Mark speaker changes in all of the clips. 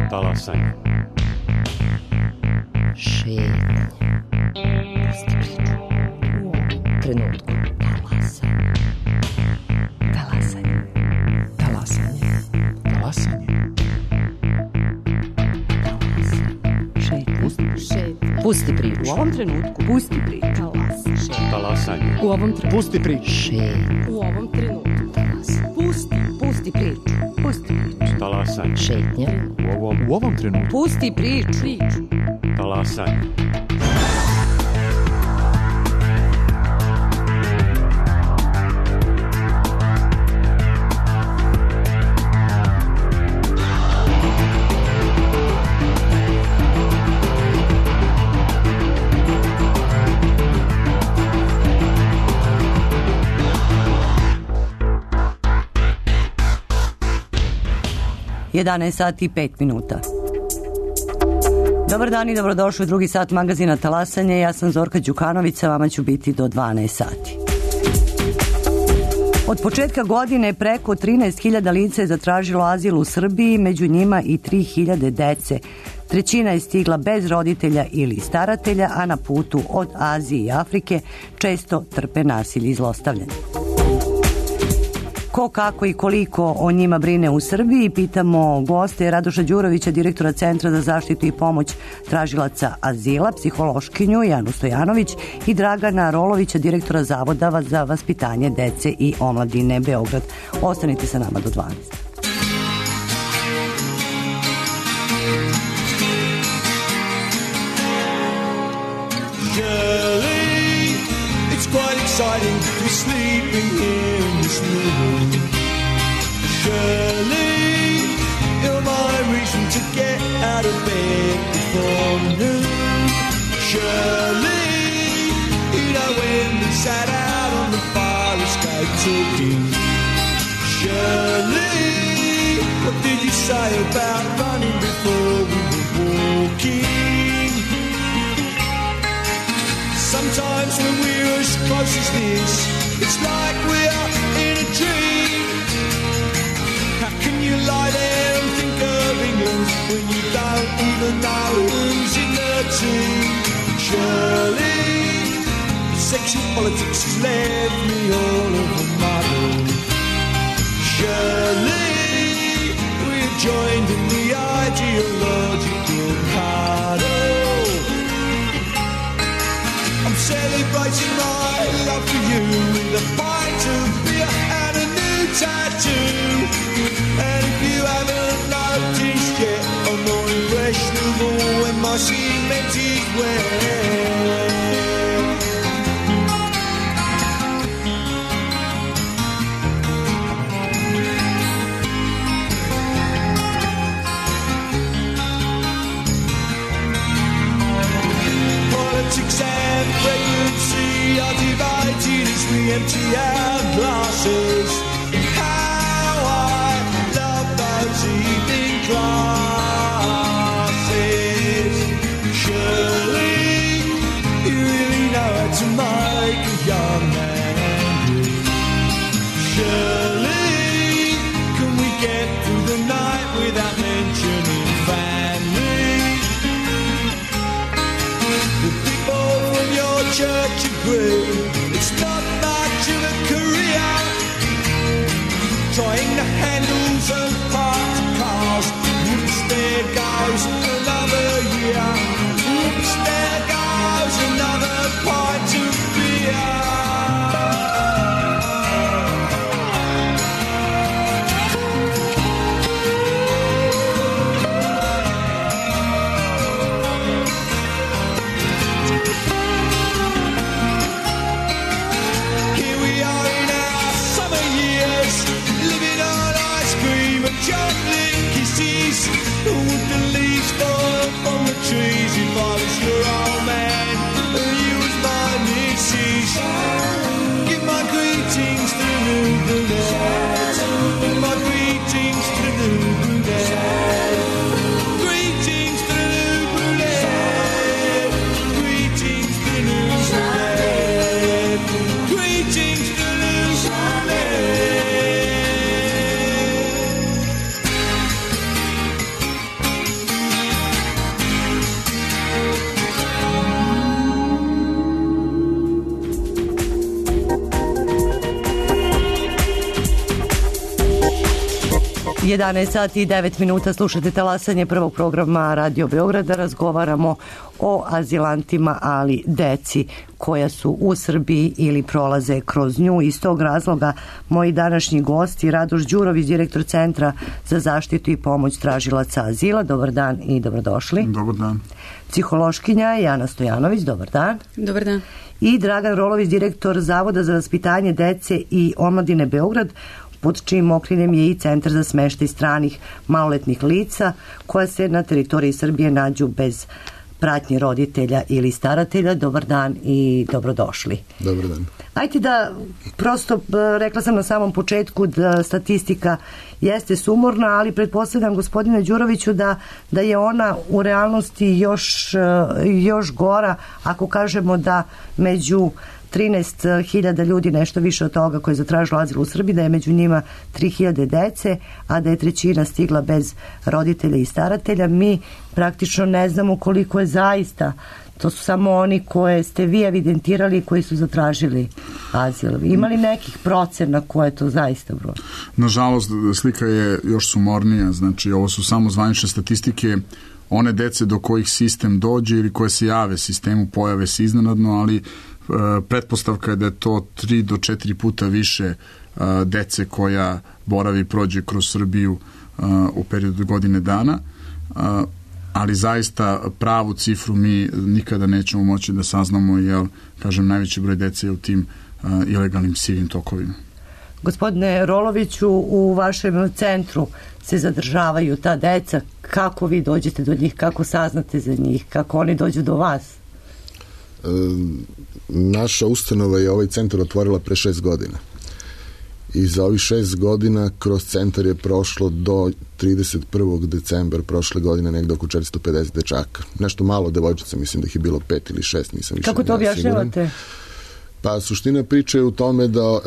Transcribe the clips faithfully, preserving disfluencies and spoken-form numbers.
Speaker 1: Talasanje.
Speaker 2: Šetnje. Pusti priču. U ovom trenutku. Talasanje. Talasanje. Talasanje.
Speaker 3: Talasanje.
Speaker 2: Šetnje. Pusti priču.
Speaker 4: U ovom trenutku.
Speaker 2: Pusti priču.
Speaker 1: Talasanje.
Speaker 4: U ovom trenutku.
Speaker 3: Pusti priču.
Speaker 2: Šetnje.
Speaker 4: U ovom trenutku. Pusti. Pusti priču. Pusti priču.
Speaker 1: Talasanje.
Speaker 2: Šetnje.
Speaker 1: U ovom,
Speaker 3: U ovom trenutku.
Speaker 4: Pusti priču. Priču.
Speaker 1: talasanje.
Speaker 5: jedanaest sati i pet minuta. Dobar dan i dobrodošli u drugi sat magazina Talasanje. Ja sam Zorka Đukanović, sa vama ću biti do dvanaest sati. Od početka godine preko trinaest hiljada lica je zatražilo azil u Srbiji, među njima i tri hiljade dece. Trećina je stigla bez roditelja ili staratelja, a na putu od Azije i Afrike često trpe nasilje i zlostavljanje. Ko, kako i koliko o njima brine u Srbiji, pitamo goste Radoša Đurovića, direktora Centra za zaštitu i pomoć tražilaca azila, psihološkinju Janu Stojanović i Dragana Rolovića, direktora Zavoda za vaspitanje dece i omladine Beograd. Ostanite sa nama do dvanaest.
Speaker 6: Exciting to be sleeping here in this new room. Surely you're my reason to get out of bed before noon. Surely you know when we sat out on the fire escape talking. Surely what did you say about running before we were walking? Sometimes when we're as close as this, it's like we're in a dream. How can you lie there and think of England when you don't even know who's in the team? Surely sexual politics has left me all of a muddle. Surely we're joined in the ideological cuddle. Celebrating my love for you with a pint of beer and a new tattoo. And if you haven't noticed yet, I'm more impressionable when my cement is wet. Politics and pregnancy are divided as we empty our glasses. How I love those evening classes. Surely you really know how to make a young man angry. Surely can we get through the night without mentioning family? The people from your church agree it's not much of a career. Trying the handles and parts of cars. Oops, there goes another year. Oops, there goes another pint of beer.
Speaker 5: jedanaest sati i devet minuta, slušate talasanje prvog programa Radio Beograda. Razgovaramo o azilantima, ali deci koja su u Srbiji ili prolaze kroz nju. Iz tog razloga moji današnji gosti Radoš Đurović, direktor Centra za zaštitu i pomoć tražilaca azila. Dobar dan i dobrodošli.
Speaker 3: Dobar dan.
Speaker 5: Psihološkinja Jana Stojanović. Dobar dan.
Speaker 4: Dobar dan. I
Speaker 5: Dragan Rolović, direktor Zavoda za vaspitanje dece i omladine Beograd, pod čijim okriljem je i Centar za smeštaj stranih maloletnih lica koja se na teritoriji Srbije nađu bez pratnje roditelja ili staratelja. Dobar dan i dobrodošli.
Speaker 3: Dobar dan.
Speaker 5: Ajde da, prosto, rekla sam na samom početku da statistika jeste sumorna, ali pretpostavljam, gospodine Đuroviću, da, da je ona u realnosti još, još gora ako kažemo da među trinaest hiljada ljudi, nešto više od toga, koji je zatražilo azil u Srbiji, da je među njima tri hiljade dece, a da je trećina stigla bez roditelja i staratelja. Mi praktično ne znamo koliko je zaista. To su samo oni koje ste vi evidentirali, koji su zatražili azil. Ima li nekih procena koje je to zaista broj?
Speaker 3: Nažalost, slika je još sumornija. Znači, ovo su samo zvanične statistike. One dece do kojih sistem dođe ili koje se jave sistemu, pojave se iznenadno, ali pretpostavka je da je to tri do četiri puta više dece koja boravi i prođe kroz Srbiju u periodu godine dana, ali zaista pravu cifru mi nikada nećemo moći da saznamo, jer, kažem, najveći broj dece je u tim ilegalnim sivim tokovima.
Speaker 5: Gospodine Roloviću, u vašem centru se zadržavaju ta deca. Kako vi dođete do njih, kako saznate za njih, kako oni dođu do vas?
Speaker 7: E, naša ustanova je ovaj centar otvorila pre šest godina. I za ovih šest godina kroz centar je prošlo do trideset prvog decembra prošle godine negde oko četiristo pedeset dečaka. Nešto malo devojčica, mislim da ih je bilo pet ili šest, nisam više.
Speaker 5: Kako to objašnjavate?
Speaker 7: Pa suština priče je u tome da e,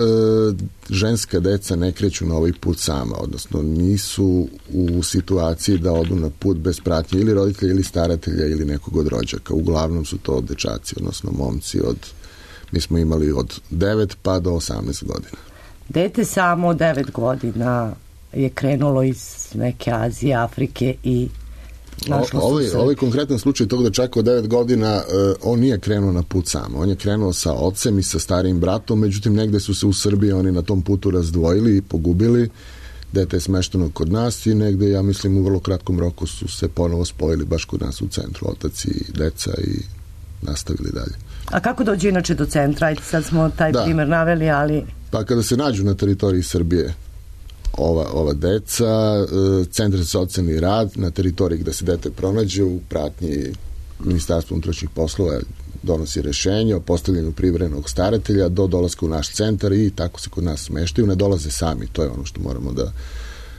Speaker 7: ženska deca ne kreću na ovaj put sama, odnosno nisu u situaciji da odu na put bez pratnje ili roditelja ili staratelja ili nekog od rođaka. Uglavnom su to dečaci, odnosno momci od, mi smo imali od devet pa do osamnaest godina. Dete
Speaker 5: samo od devet godina je krenulo iz neke Azije, Afrike i našlo
Speaker 7: ovaj,
Speaker 5: se.
Speaker 7: Ovaj konkretan slučaj tog dečaka od devet godina, uh, on nije krenuo na put sam. On je krenuo sa ocem i sa starijim bratom, međutim negde su se u Srbiji oni na tom putu razdvojili i pogubili. Dete je smešteno kod nas i negde, ja mislim, u vrlo kratkom roku su se ponovo spojili baš kod nas u centru, otac i deca, i nastavili dalje.
Speaker 5: A kako dođe inače do centra? Ajde, sad smo taj da. primer naveli, ali...
Speaker 7: Pa kada se nađu na teritoriji Srbije ova, ova deca, Centar za socijalni rad na teritoriji gde se dete pronađe u pratnji Ministarstva unutrašnjih poslova donosi rešenje o postavljanju privremenog staratelja do dolaska u naš centar i tako se kod nas smeštaju. Ne dolaze sami, to je ono što moramo da,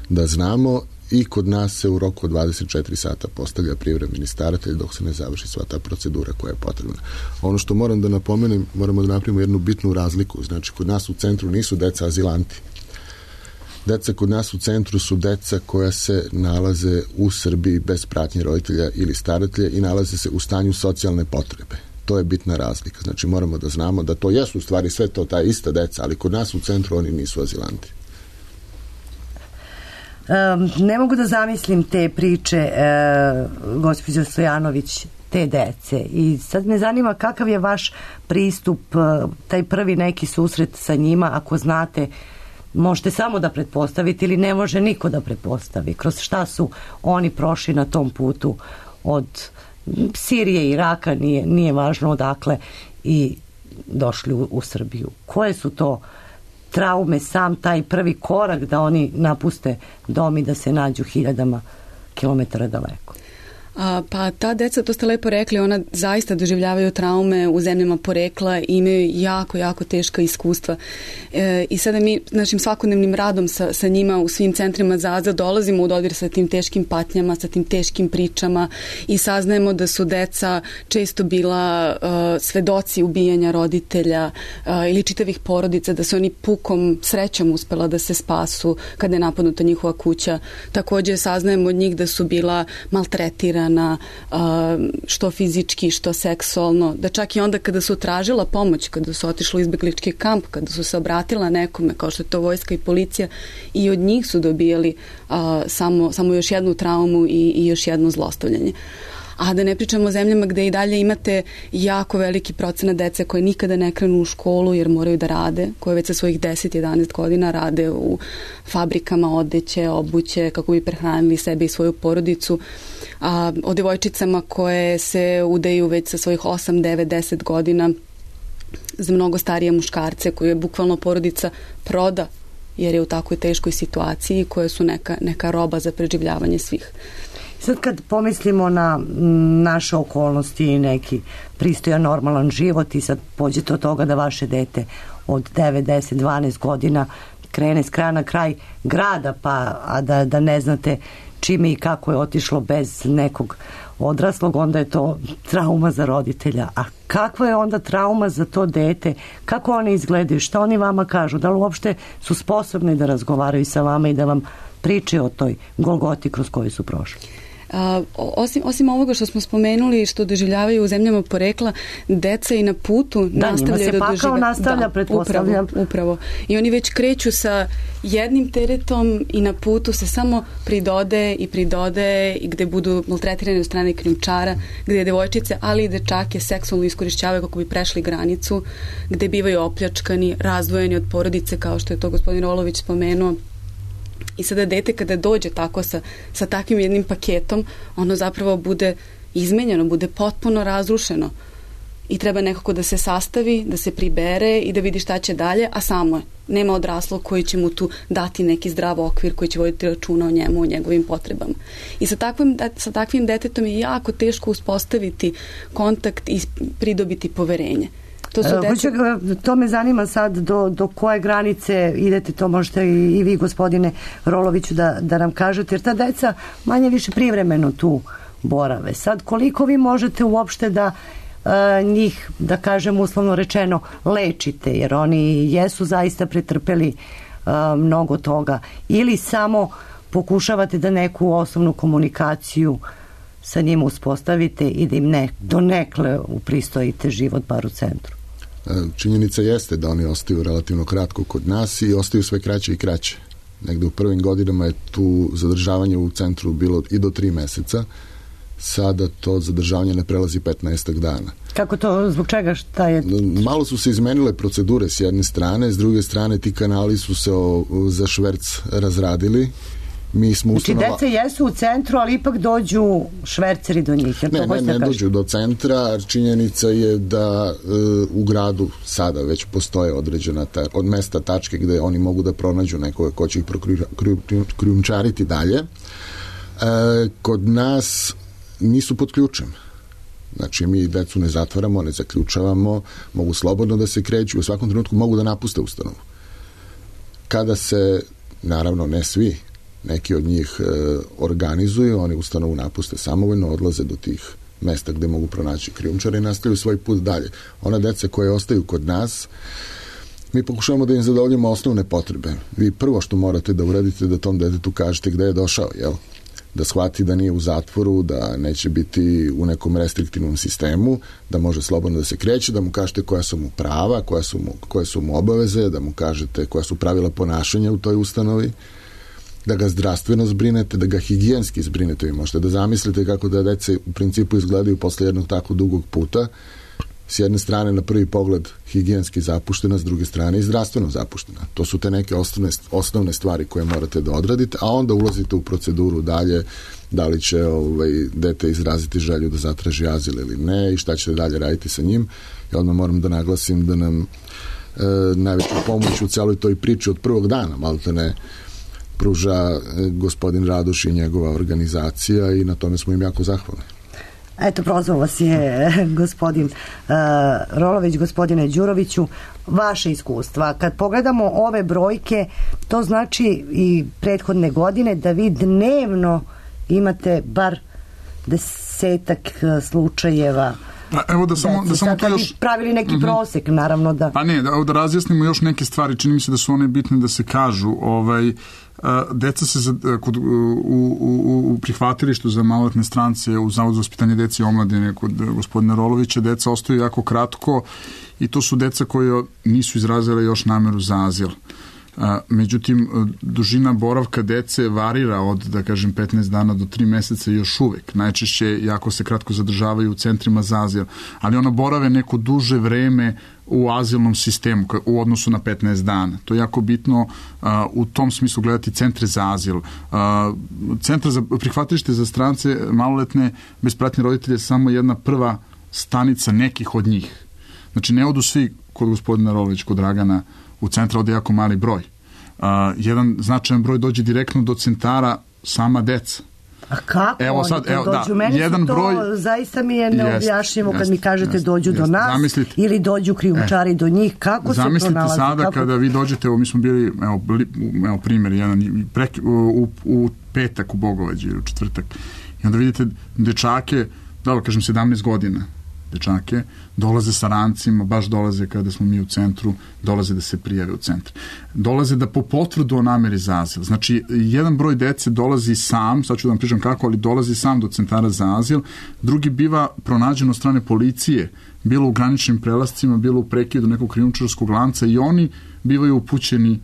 Speaker 7: da znamo, i kod nas se u roku od dvadeset četiri sata postavlja privremeni staratelj dok se ne završi sva ta procedura koja je potrebna. Ono što moram da napomenem, moramo da napravimo jednu bitnu razliku. Znači, kod nas u centru nisu deca azilanti. Deca kod nas u centru su deca koja se nalaze u Srbiji bez pratnje roditelja ili staratelja i nalaze se u stanju socijalne potrebe. To je bitna razlika. Znači, moramo da znamo da to jesu u stvari sve to ta ista deca, ali kod nas u centru oni nisu azilanti.
Speaker 5: Um, ne mogu da zamislim te priče, uh, gospođo Stojanović, te dece. I sad me zanima kakav je vaš pristup, uh, taj prvi neki susret sa njima, ako znate, možete samo da pretpostavite ili ne može niko da pretpostavi. Kroz šta su oni prošli na tom putu od Sirije, Iraka, nije, nije važno odakle, i došli u, u Srbiju. Koje su to traume, sam taj prvi korak da oni napuste dom i da se nađu hiljadama kilometara daleko?
Speaker 4: A, pa ta deca, to ste lepo rekli, ona zaista doživljavaju traume u zemljama porekla i imaju jako, jako teška iskustva. E, I sada mi našim svakodnevnim radom sa, sa njima u svim centrima za azil dolazimo u dodir sa tim teškim patnjama, sa tim teškim pričama i saznajemo da su deca često bila uh, svedoci ubijanja roditelja uh, ili čitavih porodica, da su oni pukom srećom uspela da se spasu kada je napadnuta njihova kuća. Takođe saznajemo od njih da su bila maltretirana, maltretirana, što fizički, što seksualno, da čak i onda kada su tražila pomoć, kada su otišli u izbeglički kamp, kada su se obratila nekome, kao što je to vojska i policija, i od njih su dobijali samo, samo još jednu traumu i, i još jedno zlostavljanje. A da ne pričamo o zemljama gde i dalje imate jako veliki procenat dece koje nikada ne krenu u školu jer moraju da rade, koje već sa svojih deset jedanaest godina rade u fabrikama odeće, obuće, kako bi prehranili sebe i svoju porodicu. A, o devojčicama koje se udaju već sa svojih osam, devet, deset godina za mnogo starije muškarce koje bukvalno porodica proda jer je u takvoj teškoj situaciji, koje su neka, neka roba za preživljavanje svih.
Speaker 5: Sad kad pomislimo na naše okolnosti i neki pristojan normalan život i sad pođete od toga da vaše dete od devet, deset, dvanaest godina krene s kraja na kraj grada, pa a da, da ne znate čime i kako je otišlo bez nekog odraslog, onda je to trauma za roditelja. A kakva je onda trauma za to dete? Kako oni izgledaju? Šta oni vama kažu? Da li uopšte su sposobni da razgovaraju sa vama i da vam pričaju o toj golgoti kroz koju su prošli?
Speaker 4: Uh, osim, osim ovoga što smo spomenuli, što doživljavaju u zemljama porekla, deca i na putu
Speaker 5: da,
Speaker 4: nastavljaju da doživljavaju. Da, njima se pakao
Speaker 5: nastavlja, da, pretpostavljam.
Speaker 4: Upravo, upravo. I oni već kreću sa jednim teretom i na putu se samo pridode i pridode i gde budu maltretirani od strane krijumčara, gde devojčice, ali i dečake seksualno iskorišćavaju kako bi prešli granicu, gde bivaju opljačkani, razdvojeni od porodice, kao što je to gospodin Rolović spomenuo. I sada dete kada dođe tako sa, sa takvim jednim paketom, ono zapravo bude izmenjeno, bude potpuno razrušeno. I treba nekako da se sastavi, da se pribere i da vidi šta će dalje, a samo je. Nema odraslog koji će mu tu dati neki zdrav okvir, koji će voditi računa o njemu, o njegovim potrebama. I sa takvim, sa takvim detetom je jako teško uspostaviti kontakt i pridobiti poverenje. To, su deca...
Speaker 5: to me zanima sad do, do koje granice idete, to možete i, i vi gospodine Roloviću da, da nam kažete, jer ta deca manje više privremeno tu borave. Sad koliko vi možete uopšte da a, njih, da kažem uslovno rečeno, lečite, jer oni jesu zaista pretrpeli a, mnogo toga, ili samo pokušavate da neku osnovnu komunikaciju sa njima uspostavite i da im ne, donekle upristojite život bar u centru.
Speaker 7: Činjenica jeste da oni ostaju relativno kratko kod nas i ostaju sve kraće i kraće. Negde u prvim godinama je tu zadržavanje u centru bilo i do tri meseca. Sada to zadržavanje ne prelazi petnaestak dana.
Speaker 5: Kako to, zbog čega, šta je?
Speaker 7: Malo su se izmenile procedure s jedne strane, s druge strane ti kanali su se o, za šverc razradili. Mi smo
Speaker 5: znači,
Speaker 7: ustanova...
Speaker 5: deca jesu u centru, ali ipak dođu šverceri do njih.
Speaker 7: Ne, ne, ne dođu do centra. Činjenica je da e, u gradu sada već postoje određena ta, od mesta tačke gde oni mogu da pronađu nekoga ko će ih krijumčariti dalje. E, kod nas nisu pod ključem. Znači, mi decu ne zatvaramo, ne zaključavamo, mogu slobodno da se kreću, u svakom trenutku mogu da napuste ustanovu. Kada se, naravno ne svi, neki od njih e, organizuju, oni ustanovu napuste samovoljno, odlaze do tih mesta gde mogu pronaći krijumčare i nastavljaju svoj put dalje. Ona deca koje ostaju kod nas, mi pokušavamo da im zadovoljimo osnovne potrebe. Vi prvo što morate da uradite da tom detetu kažete gde je došao, jel? Da shvati da nije u zatvoru, da neće biti u nekom restriktivnom sistemu, da može slobodno da se kreće, da mu kažete koja su mu prava, koja su mu, koje su mu obaveze, da mu kažete koja su pravila ponašanja u toj ustanovi, da ga zdravstveno zbrinete, da ga higijenski zbrinete. Vi možete da zamislite kako da dece u principu izgledaju posle jednog tako dugog puta. S jedne strane na prvi pogled higijenski zapuštena, s druge strane i zdravstveno zapuštena. To su te neke osnovne, osnovne stvari koje morate da odradite, a onda ulazite u proceduru dalje, da li će ovaj, dete izraziti želju da zatraži azil ili ne i šta ćete dalje raditi sa njim. I odmah moram da naglasim da nam e, najveću pomoć u celoj toj priči od prvog dana, malte ne, pruža gospodin Radoš i njegova organizacija i na tome smo im jako zahvalni.
Speaker 5: Eto, prozvao vas je gospodin uh, Rolović, gospodine Đuroviću, vaše iskustva. Kad pogledamo ove brojke, to znači i prethodne godine da vi dnevno imate bar desetak slučajeva.
Speaker 3: Pa evo da samo, da samo to još...
Speaker 5: pravili neki uh-huh. prosek, naravno da...
Speaker 3: Pa ne, da, da razjasnimo još neke stvari, čini mi se da su one bitne da se kažu. Ovaj, deca se za, kod, u, u, u prihvatilištu za maloletne strance u Zavodu za vaspitanje dece i omladine kod gospodina Rolovića, deca ostaju jako kratko i to su deca koje nisu izrazile još nameru za azil. Međutim, dužina boravka dece varira od, da kažem, petnaest dana do tri meseca još uvek. Najčešće jako se kratko zadržavaju u centrima za azil, ali ona borave neko duže vreme u azilnom sistemu u odnosu na petnaest dana. To je jako bitno uh, u tom smislu gledati centre za azil. Uh, centra za prihvatilište za strance maloletne bez pratnje roditelje je samo jedna prva stanica nekih od njih. Znači, ne odu svi kod gospodina Rolovića, kod Dragana, u centra ode jako mali broj. Uh, jedan značajan broj dođe direktno do centara sama deca.
Speaker 5: A kako
Speaker 3: evo, sad,
Speaker 5: oni
Speaker 3: evo,
Speaker 5: dođu?
Speaker 3: Da,
Speaker 5: Meni
Speaker 3: jedan
Speaker 5: su to,
Speaker 3: broj,
Speaker 5: zaista mi je neobjašnjivo kad
Speaker 3: jest,
Speaker 5: mi kažete
Speaker 3: jest,
Speaker 5: dođu
Speaker 3: jest,
Speaker 5: do nas
Speaker 3: zamislite,
Speaker 5: ili dođu krijumčari e, do njih. Kako se
Speaker 3: zamislite
Speaker 5: pronalazi?
Speaker 3: Sada
Speaker 5: kako...
Speaker 3: kada vi dođete, evo mi smo bili, evo, evo primjer, jedan, pre, u, u petak u Bogovađi ili u četvrtak, i onda vidite dečake, da kažem sedamnaest godina, dečake, dolaze sa rancima, baš dolaze kada smo mi u centru, dolaze da se prijave u centru. Dolaze da po potvrdu o nameri za azil. Znači, jedan broj dece dolazi sam, sad ću da vam pričam kako, ali dolazi sam do centara za azil, drugi biva pronađen od strane policije, bilo u graničnim prelascima, bilo u prekidu nekog krijumčarskog lanca i oni bivaju upućeni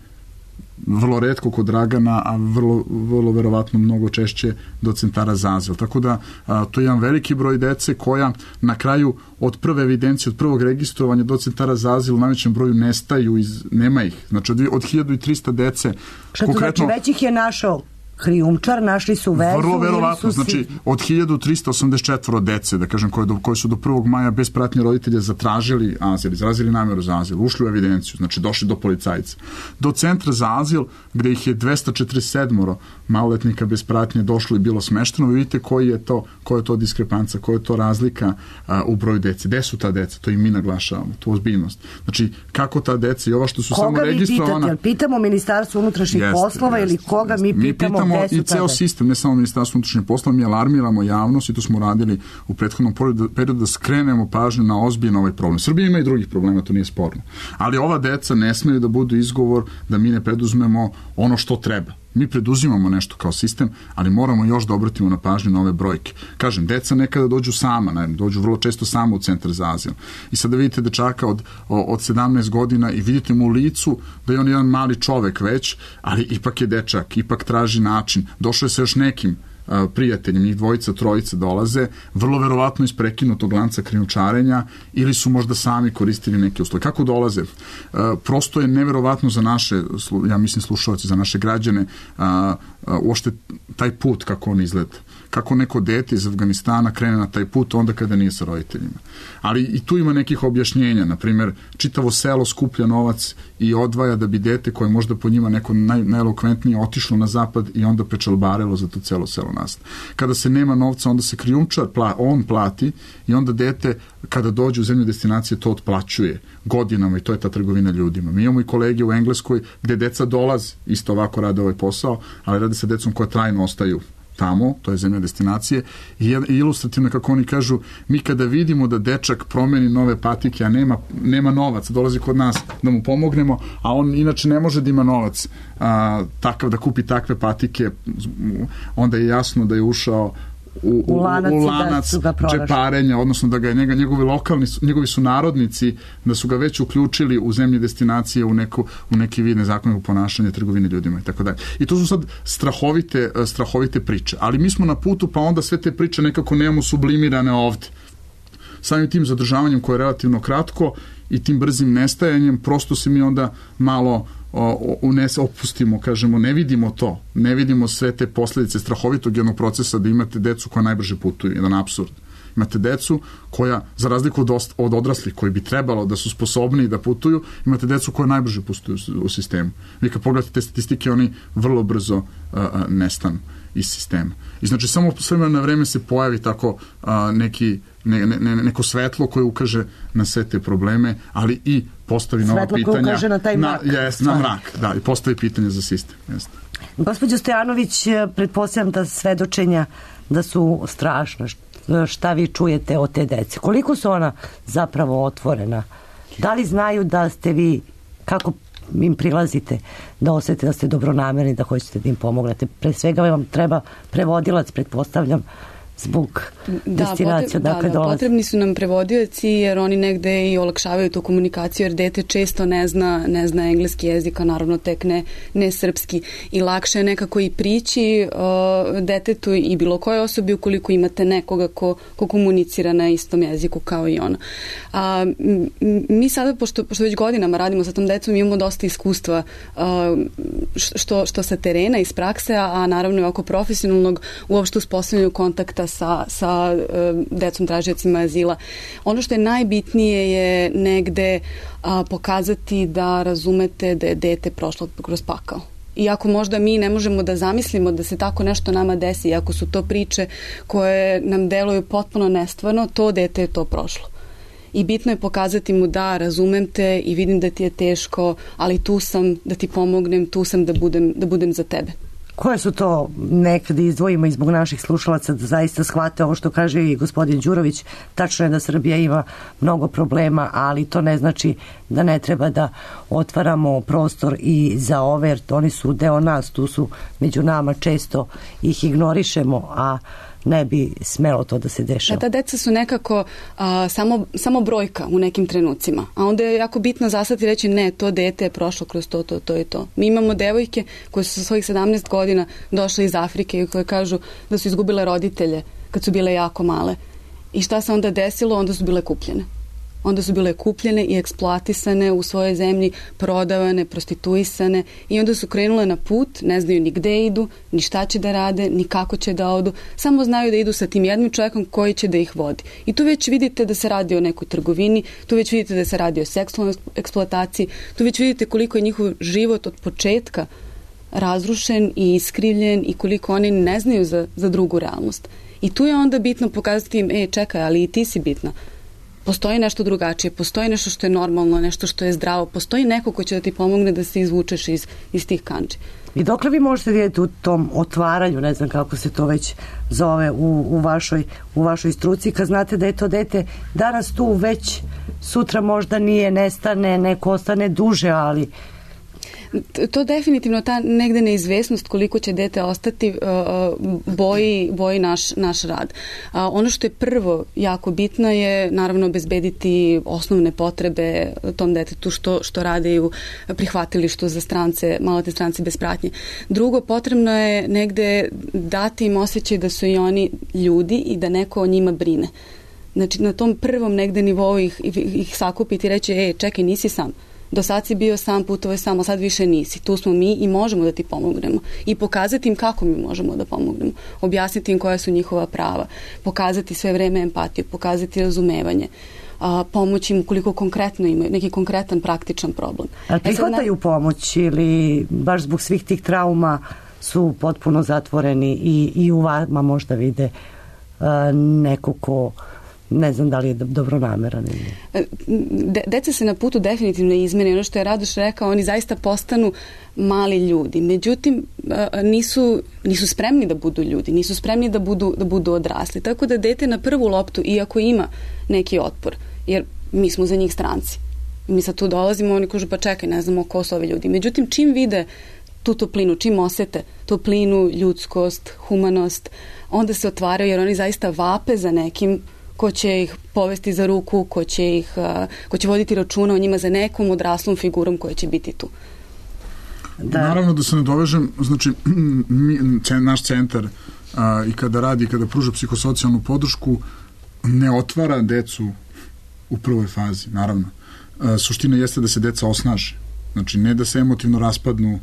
Speaker 3: vrlo retko kod Dragana, a vrlo, vrlo verovatno mnogo češće do centara za azil. Tako da a, to je jedan veliki broj dece koja na kraju od prve evidencije, od prvog registrovanja do centara za azil u najvećem broju nestaju, iz, nema ih. Znači od, od hiljadu trista dece.
Speaker 5: Što konkretno, znači već ih je našao krijumčar, našli su vezu.
Speaker 3: Vrlo verovatno,
Speaker 5: su
Speaker 3: znači od hiljadu trista osamdeset četiri dece, da kažem, koje, do, koje su do prvog maja bez pratnje roditelja zatražili azil, izrazili nameru za azil, ušli u evidenciju, znači došli do policajca. Do centra za azil, gde ih je dvesta četrdeset sedam maloletnika bez pratnje došlo i bilo smešteno, vi vidite koji je to, koja je to diskrepanca, koja je to razlika a, u broju dece. Gde su ta deca? To i mi naglašavamo, tu ozbiljnost. Znači, kako ta deca i ova što su
Speaker 5: koga
Speaker 3: samo registrovana...
Speaker 5: Koga vi pitate? Pitamo Ministarstvo unutrašnjih
Speaker 3: jeste,
Speaker 5: poslova
Speaker 3: jeste,
Speaker 5: ili koga
Speaker 3: jeste.
Speaker 5: mi pitamo?
Speaker 3: Mi pitamo i ceo sistem, ne samo Ministarstvo unutrašnjih poslova, mi alarmiramo javnost i to smo radili u prethodnom periodu da skrenemo pažnju na ozbiljno ovaj problem. Srbija ima i drugih problema, to nije sporno. Ali ova deca ne smeju da budu izgovor da mi ne preduzmemo ono što treba. Mi preduzimamo nešto kao sistem, ali moramo još da obratimo na pažnju na ove brojke. Kažem, deca nekada dođu sama, ne, dođu vrlo često sama u centar za azil. I sada vidite dečaka od, od sedamnaest godina i vidite mu u licu da je on jedan mali čovek već, ali ipak je dečak, ipak traži način. Došao je sa još nekim prijatelji, njih dvojica, trojica dolaze, vrlo verovatno iz prekinutog lanca krijumčarenja ili su možda sami koristili neke usluge. Kako dolaze? Prosto je neverovatno za naše, ja mislim slušalci, za naše građane, uopšte taj put kako on izgleda. Kako neko dete iz Afganistana krene na taj put onda kada nije sa roditeljima. Ali i tu ima nekih objašnjenja. Naprimjer, čitavo selo skuplja novac i odvaja da bi dete koje možda po njima neko naj, najelokventnije otišlo na zapad i onda prečalbarelo za to celo selo nasta. Kada se nema novca, onda se krijumčar, on plati i onda dete kada dođe u zemlju destinacije to otplaćuje godinama i to je ta trgovina ljudima. Mi imamo i kolege u Engleskoj gde deca dolaze, isto ovako rade ovaj posao, ali rade sa decom koja trajno ostaju tamo, to je zemlja destinacije, i ilustrativno, kako oni kažu, mi kada vidimo da dečak promeni nove patike, a nema, nema novac, dolazi kod nas da mu pomognemo, a on inače ne može da ima novac a, takav da kupi takve patike, onda je jasno da je ušao u, u, u lanac, u lanac da džeparenja, odnosno da ga je njega, njegovi lokalni, njegovi su narodnici, da su ga već uključili u zemlje destinacije u, neku, u neki vid nezakonnog ponašanja, trgovine ljudima i tako dalje. I to su sad strahovite, strahovite priče. Ali mi smo na putu, pa onda sve te priče nekako nemamo sublimirane ovde. Samim tim zadržavanjem koje je relativno kratko i tim brzim nestajanjem, prosto se mi onda malo u nes opustimo, kažemo, ne vidimo to, ne vidimo sve te posljedice strahovitog jednog procesa da imate decu koja najbrže putuju, jedan apsurd. Imate decu koja, za razliku od, od odraslih koji bi trebalo da su sposobni da putuju, imate decu koja najbrže putuju u sistemu. Vi kad pogledate te statistike, oni vrlo brzo uh, nestanu iz sistema. I znači samo s vremena na vreme se pojavi tako uh, neki, ne, ne, neko svetlo koje ukaže na sve te probleme, ali i postavi nova
Speaker 5: svetlo
Speaker 3: pitanja.
Speaker 5: Svetlo koje ukaže na taj mrak.
Speaker 3: Na, jes, na mrak, da, i postavi pitanje za sistem. Jest.
Speaker 5: Gospođo Stojanović, pretpostavljam da svedočenja da su strašna. Šta vi čujete od te dece? Koliko su ona zapravo otvorena? Da li znaju da ste vi, kako im prilazite, da osete da ste dobronamerni, da hoćete da im pomognete. Pre svega vam treba prevodilac, pretpostavljam, zbog
Speaker 4: da,
Speaker 5: destinacija
Speaker 4: da,
Speaker 5: dakle
Speaker 4: da,
Speaker 5: dolaze.
Speaker 4: Potrebni su nam prevodioci jer oni negde i olakšavaju tu komunikaciju jer dete često ne zna, ne zna engleski jezik, a naravno tek ne, ne srpski i lakše je nekako i prići uh, detetu i bilo koje osobi ukoliko imate nekoga ko, ko komunicira na istom jeziku kao i ona. A, mi sada, pošto, pošto već godinama radimo sa tom decom, imamo dosta iskustva uh, što, što sa terena, iz prakse, a naravno i oko profesionalnog uopšte uspostavljanju kontakta sa, sa uh, decom tražiocima azila. Ono što je najbitnije je negde uh, pokazati da razumete da je dete prošlo kroz pakao. Iako možda mi ne možemo da zamislimo da se tako nešto nama desi, iako su to priče koje nam deluju potpuno nestvarno, to dete je to prošlo. I bitno je pokazati mu da razumem te i vidim da ti je teško, ali tu sam da ti pomognem, tu sam da budem, da budem za tebe.
Speaker 5: Koje su to, nekada izdvojimo i zbog naših slušalaca da zaista shvate ovo što kaže i gospodin Đurović, tačno je da Srbija ima mnogo problema, ali to ne znači da ne treba da otvaramo prostor i za ove, jer oni su deo nas, tu su među nama, često ih ignorišemo, a ne bi smelo to da se dešava.
Speaker 4: Da, ta deca su nekako a, samo, samo brojka u nekim trenucima, a onda je jako bitno zastati i reći ne, to dete je prošlo kroz to, to, to i to. Mi imamo devojke koje su sa svojih sedamnaest godina došle iz Afrike i koje kažu da su izgubile roditelje kad su bile jako male. I šta se onda desilo? Onda su bile kupljene. Onda su bile kupljene i eksploatisane u svojoj zemlji, prodavane, prostituisane i onda su krenule na put, ne znaju ni gde idu, ni šta će da rade, ni kako će da odu, samo znaju da idu sa tim jednim čovjekom koji će da ih vodi. I tu već vidite da se radi o nekoj trgovini, tu već vidite da se radi o seksualnoj eksploataciji, tu već vidite koliko je njihov život od početka razrušen i iskrivljen i koliko oni ne znaju za, za drugu realnost. I tu je onda bitno pokazati im, e, čekaj, ali i ti si bitna. Postoji nešto drugačije, postoji nešto što je normalno, nešto što je zdravo, postoji neko ko će da ti pomogne da se izvučeš iz, iz tih kandži.
Speaker 5: I dokle vi možete vidjeti u tom otvaranju, ne znam kako se to već zove u, u, vašoj, u vašoj struci, kad znate da je to dete danas tu već, sutra možda nije, nestane, neko ostane duže, ali
Speaker 4: to definitivno ta negde neizvesnost koliko će dete ostati boji, boji naš, naš rad. Ono što je prvo jako bitno je naravno obezbediti osnovne potrebe tom detetu što, što rade u prihvatilištu za strance, maloletne strance bez pratnje. Drugo, potrebno je negde dati im osjećaj da su i oni ljudi i da neko o njima brine. Znači na tom prvom negde nivou ih, ih sakupiti i reći, e, čekaj, nisi sam. Do sad si bio sam, putovao sam, a sad više nisi. Tu smo mi i možemo da ti pomognemo. I pokazati im kako mi možemo da pomognemo. Objasniti im koja su njihova prava. Pokazati sve vreme empatiju, pokazati razumevanje. A, pomoći im ukoliko konkretno imaju neki konkretan praktičan problem.
Speaker 5: A prihvataju na... pomoć ili baš zbog svih tih trauma su potpuno zatvoreni i, i u vama možda vide a, neko ko ne znam da li je dobronameran.
Speaker 4: De, deca se na putu definitivno izmene. Ono što je Radoš rekao, oni zaista postanu mali ljudi. Međutim, nisu, nisu spremni da budu ljudi, nisu spremni da budu, da budu odrasli. Tako da dete na prvu loptu, iako ima neki otpor, jer mi smo za njih stranci. Mi sad tu dolazimo, oni kažu pa čekaj, ne znamo ko su ovi ljudi. Međutim, čim vide tu toplinu, čim osete toplinu, ljudskost, humanost, onda se otvaraju jer oni zaista vape za nekim ko će ih povesti za ruku, ko će ih, ko će voditi računa o njima za nekom odraslom figurom koja će biti tu.
Speaker 3: Da. Naravno da se ne dovežem, znači mi, naš centar a, i kada radi i kada pruža psihosocijalnu podršku ne otvara decu u prvoj fazi, naravno. A, suština jeste da se deca osnaže. Znači ne da se emotivno raspadnu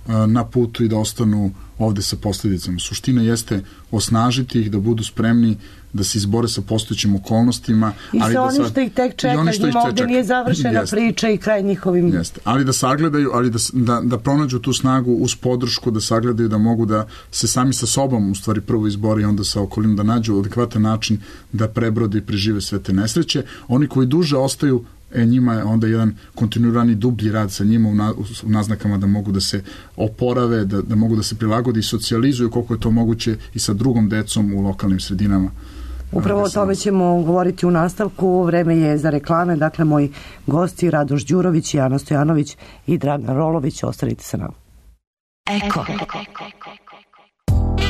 Speaker 3: a, na putu i da ostanu ovde sa posljedicama. Suština jeste osnažiti ih da budu spremni da se izbore sa postojećim okolnostima.
Speaker 5: I
Speaker 3: ali
Speaker 5: sa
Speaker 3: da
Speaker 5: oni
Speaker 3: sad,
Speaker 5: što ih tek čeka, njima ovde čeka. Nije završena jeste. Priča i kraj njihovim...
Speaker 3: Jeste. Ali da sagledaju, ali da, da, da pronađu tu snagu uz podršku, da sagledaju da mogu da se sami sa sobom u stvari prvo izbore i onda sa okolinom da nađu adekvatan način da prebrode i prežive sve te nesreće. Oni koji duže ostaju, e, njima je onda jedan kontinuirani dublji rad sa njima u, na, u naznakama da mogu da se oporave, da, da mogu da se prilagode i socijalizuju koliko je to moguće i sa drugom decom u lokalnim sredinama.
Speaker 5: Upravo o tome ćemo govoriti u nastavku. Vreme je za reklame. Dakle, moji gosti Radoš Đurović, Jana Stojanović i Dragan Rolović. Ostanite sa nama.
Speaker 2: Eko.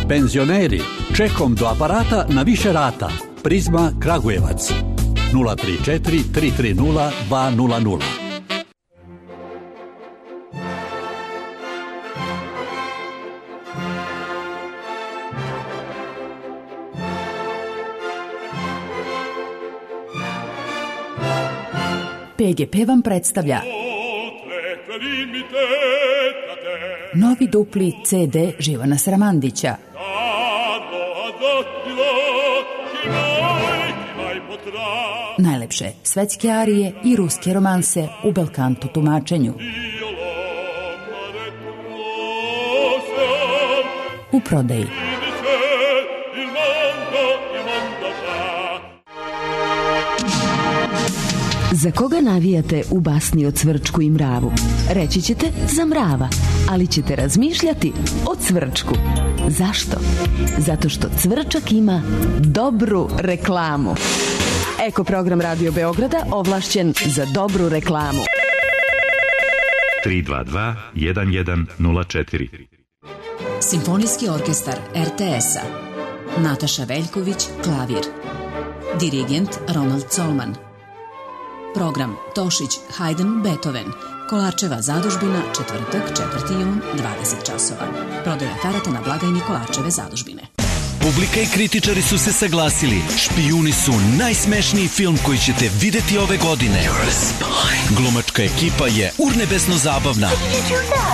Speaker 8: Penzioneri, čekom do aparata na više rata. Prizma Kragujevac. nula tri četiri tri tri nula dva nula nula.
Speaker 9: P G P vam predstavlja novi dupli C D Živana Sramandića. Najlepše svetske arije i ruske romanse u belkanto tumačenju. U prodaji.
Speaker 10: Za koga navijate u basni o Cvrčku i mravu? Reći ćete za mrava, ali ćete razmišljati o Cvrčku. Zašto? Zato što Cvrčak ima dobru reklamu. Eko program Radio Beograda ovlašćen za dobru reklamu.
Speaker 11: tri dva dva jedan jedan nula četiri.
Speaker 9: Simfonijski orkestar R T S-a. Nataša Veljković, klavir. Dirigent Ronald Colman. Program Tošić, Haydn, Beethoven. Kolarčeva zadužbina, četvrtak, četvrti jun, dvadeset časova. Prodaja karata na blagajni Kolarčeve zadužbine.
Speaker 12: Publika i kritičari su se saglasili. Špijuni su najsmešniji film koji ćete videti ove godine. Glumačka ekipa je urnebesno zabavna.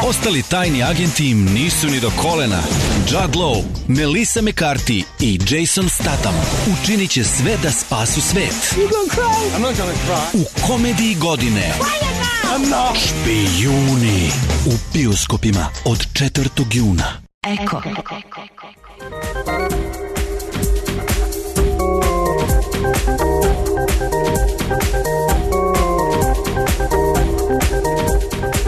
Speaker 12: Ostali tajni agenti im nisu ni do kolena. Judd Law, Melissa McCarthy i Jason Statham učinit će sve da spasu svet. U komediji godine Špijuni u bioskopima od četvrtog juna.
Speaker 10: Eko.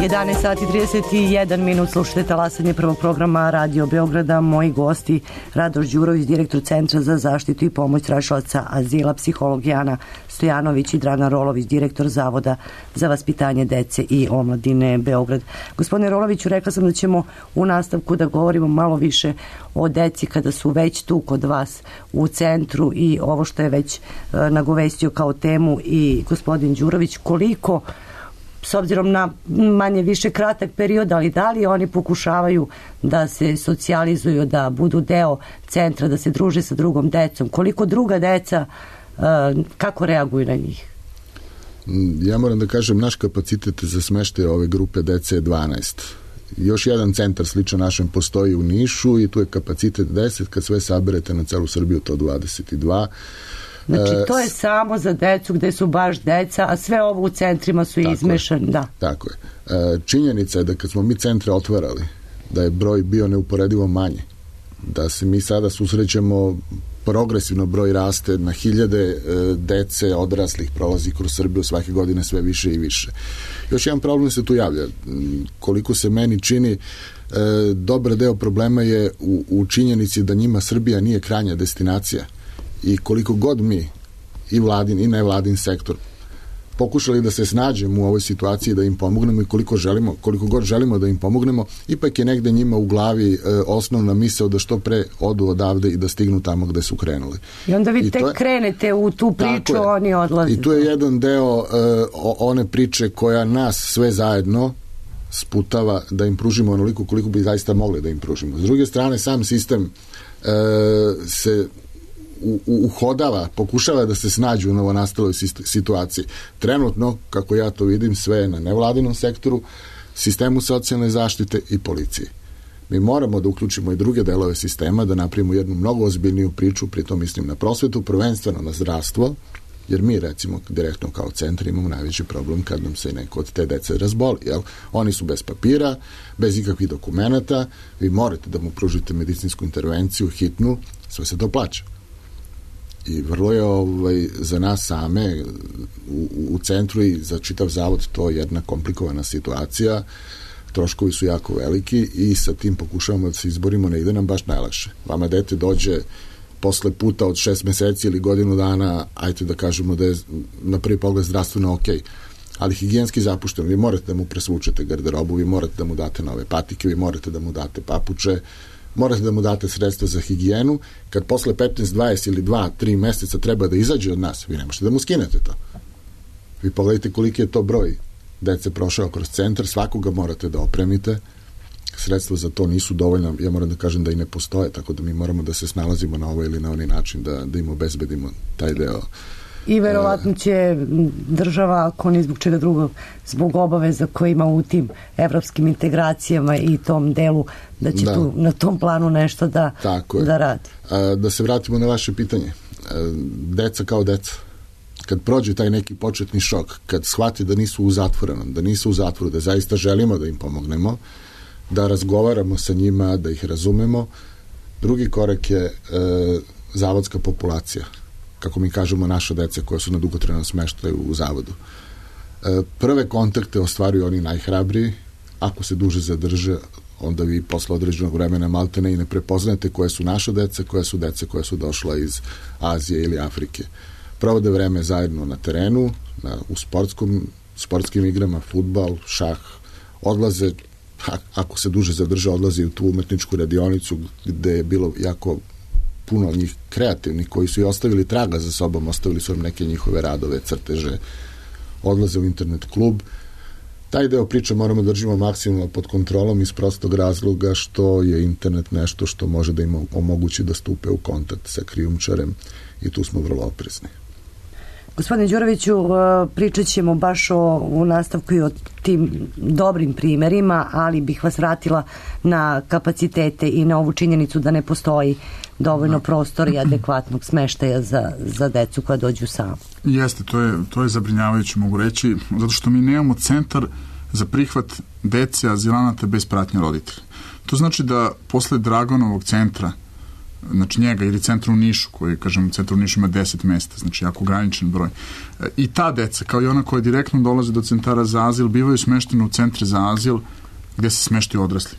Speaker 5: jedanaest sati i trideset jedan minut, slušate talasanje prvog programa Radio Beograda. Moji gosti Radoš Đurović, direktor Centra za zaštitu i pomoć tražilaca azila, psiholog Jana Stojanović i Dragan Rolović, direktor Zavoda za vaspitanje dece i omladine Beograd. Gospodine Roloviću, rekla sam da ćemo u nastavku da govorimo malo više o deci kada su već tu kod vas u centru i ovo što je već nagovestio kao temu i gospodin Đurović, koliko s obzirom na manje više kratak period, ali da li oni pokušavaju da se socijalizuju, da budu deo centra, da se druže sa drugom decom, koliko druga deca, kako reaguju na njih?
Speaker 7: Ja moram da kažem, naš kapacitet za smeštaj ove grupe dece je dvanaest. Još jedan centar sličan našem postoji u Nišu i tu je kapacitet deset, kad sve saberete na celu Srbiju to dvadeset dva.
Speaker 5: Znači, to je samo za decu gde su baš deca, a sve ovo u centrima su izmešani. Da.
Speaker 7: Tako je. Činjenica je da kad smo mi centre otvarali, da je broj bio neuporedivo manje. Da se mi sada susrećemo, progresivno broj raste, na hiljade dece odraslih prolazi kroz Srbiju svake godine sve više i više. Još jedan problem se tu javlja. Koliko se meni čini, dobar deo problema je u, u činjenici da njima Srbija nije krajnja destinacija. I koliko god mi, i vladin i nevladin sektor, pokušali da se snađemo u ovoj situaciji, da im pomognemo i koliko želimo, koliko god želimo da im pomognemo, ipak je negde njima u glavi e, osnovna misao da što pre odu odavde i da stignu tamo gde su krenuli.
Speaker 5: I onda vi tek je, krenete u tu priču, oni odlaze.
Speaker 7: I tu je jedan deo e, one priče koja nas sve zajedno sputava da im pružimo onoliko koliko bi zaista mogli da im pružimo. S druge strane, sam sistem e, se uhodava, pokušava da se snađu u novonastaloj situaciji. Trenutno, kako ja to vidim, sve je na nevladinom sektoru, sistemu socijalne zaštite i policije. Mi moramo da uključimo i druge delove sistema, da napravimo jednu mnogo ozbiljniju priču, pritom mislim na prosvetu, prvenstveno na zdravstvo, jer mi recimo direktno kao centar imamo najveći problem kad nam se neko od te dece razboli. Jel? Oni su bez papira, bez ikakvih dokumenata, vi morate da mu pružite medicinsku intervenciju, hitnu, sve se to plaća. I vrlo je ovaj, za nas same u, u centru i za čitav zavod to jedna komplikovana situacija, troškovi su jako veliki i sa tim pokušavamo da se izborimo, ne ide nam baš najlakše. Vama dete dođe posle puta od šest meseci ili godinu dana, ajte da kažemo da je na prvi pogled zdravstveno okej. Ali higijenski zapušteno. Vi morate da mu presvučete garderobu, vi morate da mu date nove patike, vi morate da mu date papuče, morate da mu date sredstva za higijenu. Kad posle petnaest, dvadeset ili dva, tri meseca treba da izađe od nas, vi ne možete da mu skinete to. Vi pogledajte koliki je to broj dece prošao kroz centar, svakoga morate da opremite. Sredstva za to nisu dovoljna, ja moram da kažem da i ne postoje, tako da mi moramo da se snalazimo na ovaj ili na onaj način da, da im obezbedimo taj deo.
Speaker 5: I verovatno će država, ako ni zbog čega drugog, zbog obaveza koje ima u tim evropskim integracijama i tom delu, da će da. tu na tom planu nešto da, da radi.
Speaker 7: A, da se vratimo na vaše pitanje. A, deca kao deca. Kad prođe taj neki početni šok, kad shvati da nisu u zatvorenom, da nisu u zatvoru, da zaista želimo da im pomognemo, da razgovaramo sa njima, da ih razumemo. Drugi korak je e, zavodska populacija, kako mi kažemo naša deca koja su na dugotrajnom smeštaju u zavodu. E, prve kontakte ostvaruju oni najhrabriji, ako se duže zadrže, onda vi posle određenog vremena maltene i ne prepoznate koje su naša deca, koje su deca koje su došla iz Azije ili Afrike. Provode vreme zajedno na terenu, na, u sportskom, sportskim igrama, fudbal, šah, odlaze, ako se duže zadrže, odlaze u tu umetničku radionicu gde je bilo jako puno njih kreativnih koji su i ostavili traga za sobom, ostavili su vam neke njihove radove, crteže, odlaze u internet klub. Taj deo priče moramo da držimo maksimalno pod kontrolom iz prostog razloga što je internet nešto što može da im omogući da stupe u kontakt sa krijumčarem i tu smo vrlo oprezni.
Speaker 5: Gospodine Đuroviću, pričat ćemo baš o, u nastavku i o tim dobrim primerima, ali bih vas vratila na kapacitete i na ovu činjenicu da ne postoji dovoljno prostora i adekvatnog smeštaja za, za decu koja dođu sama.
Speaker 3: Jeste, to je, to je zabrinjavajuće, mogu reći, zato što mi nemamo centar za prihvat dece azilanata bez pratnje roditelja. To znači da posle Dragonovog centra, znači njega ili centra u Nišu, koji, kažem, centar u Nišu ima deset mesta, znači jako ograničen broj. I ta deca, kao i ona koja direktno dolaze do centara za azil, bivaju smeštene u centre za azil gde se smeštaju odrasli.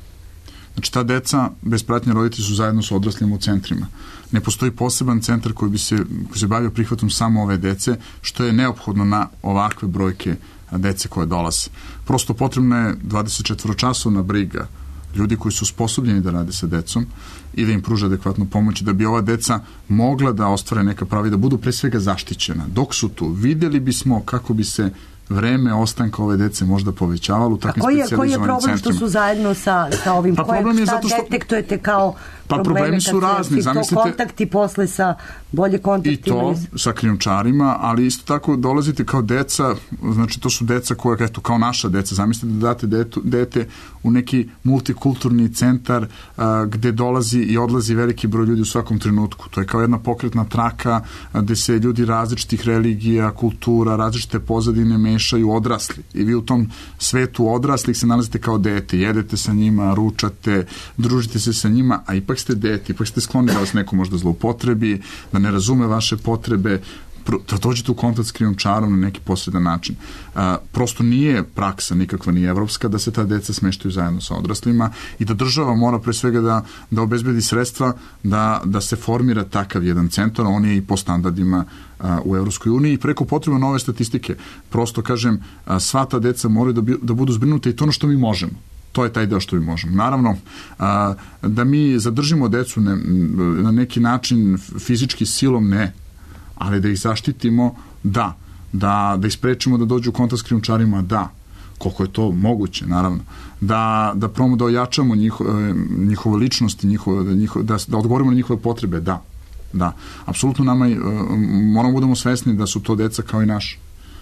Speaker 3: Znači ta deca bez pratnje roditelja su zajedno sa odraslima u centrima. Ne postoji poseban centar koji bi se, koji se bavio prihvatom samo ove dece, što je neophodno na ovakve brojke dece koje dolaze. Prosto potrebna je dvadesetčetvoročasovna briga ljudi koji su sposobljeni da rade sa decom i da im pruže adekvatnu pomoć, da bi ova deca mogla da ostvare neka prava i da budu pre svega zaštićena. Dok su tu, vidjeli bismo kako bi se vreme ostanka ove dece možda povećavalo u takvim specijalizovanim centrima.
Speaker 5: A koji je problem što su zajedno sa, sa ovim?
Speaker 3: Pa problem je zato što...
Speaker 5: detektujete kao
Speaker 3: pa problemi su razni.
Speaker 5: Zamislite, kontakti posle sa bolje kontaktima.
Speaker 3: I to sa krijumčarima, ali isto tako dolazite kao deca, znači to su deca koja, eto, kao naša deca, zamislite da date detu, dete u neki multikulturni centar a, gde dolazi i odlazi veliki broj ljudi u svakom trenutku. To je kao jedna pokretna traka a, gde se ljudi različitih religija, kultura, različite pozadine mešaju, odrasli. I vi u tom svetu odraslih se nalazite kao dete, jedete sa njima, ručate, družite se sa njima, a ipak ste dete, ipak ste skloni da vas neko možda zloupotrebi, da ne razume vaše potrebe, da dođete u kontakt s krijumčarom na neki posredan način. A, prosto nije praksa nikakva ni evropska da se ta deca smeštaju zajedno sa odraslima i da država mora pre svega da, da obezbedi sredstva da, da se formira takav jedan centar, on je i po standardima a, u Evropskoj uniji i preko potreba nove statistike. Prosto kažem, a, sva ta deca moraju da, bi, da budu zbrinuta i to ono što mi možemo. To je taj deo što mi možemo. Naravno, a, da mi zadržimo decu ne, na neki način fizički silom ne, ali da ih zaštitimo, da. Da, da ih sprečimo da dođu u kontakt s krijumčarima, da. Koliko je to moguće, naravno. Da, da promo da ojačamo njiho, njihovu ličnost, njihovo, njihovo, da, da odgovorimo na njihove potrebe, da. Da. Apsolutno nama moramo budemo svesni da su to deca kao i naša.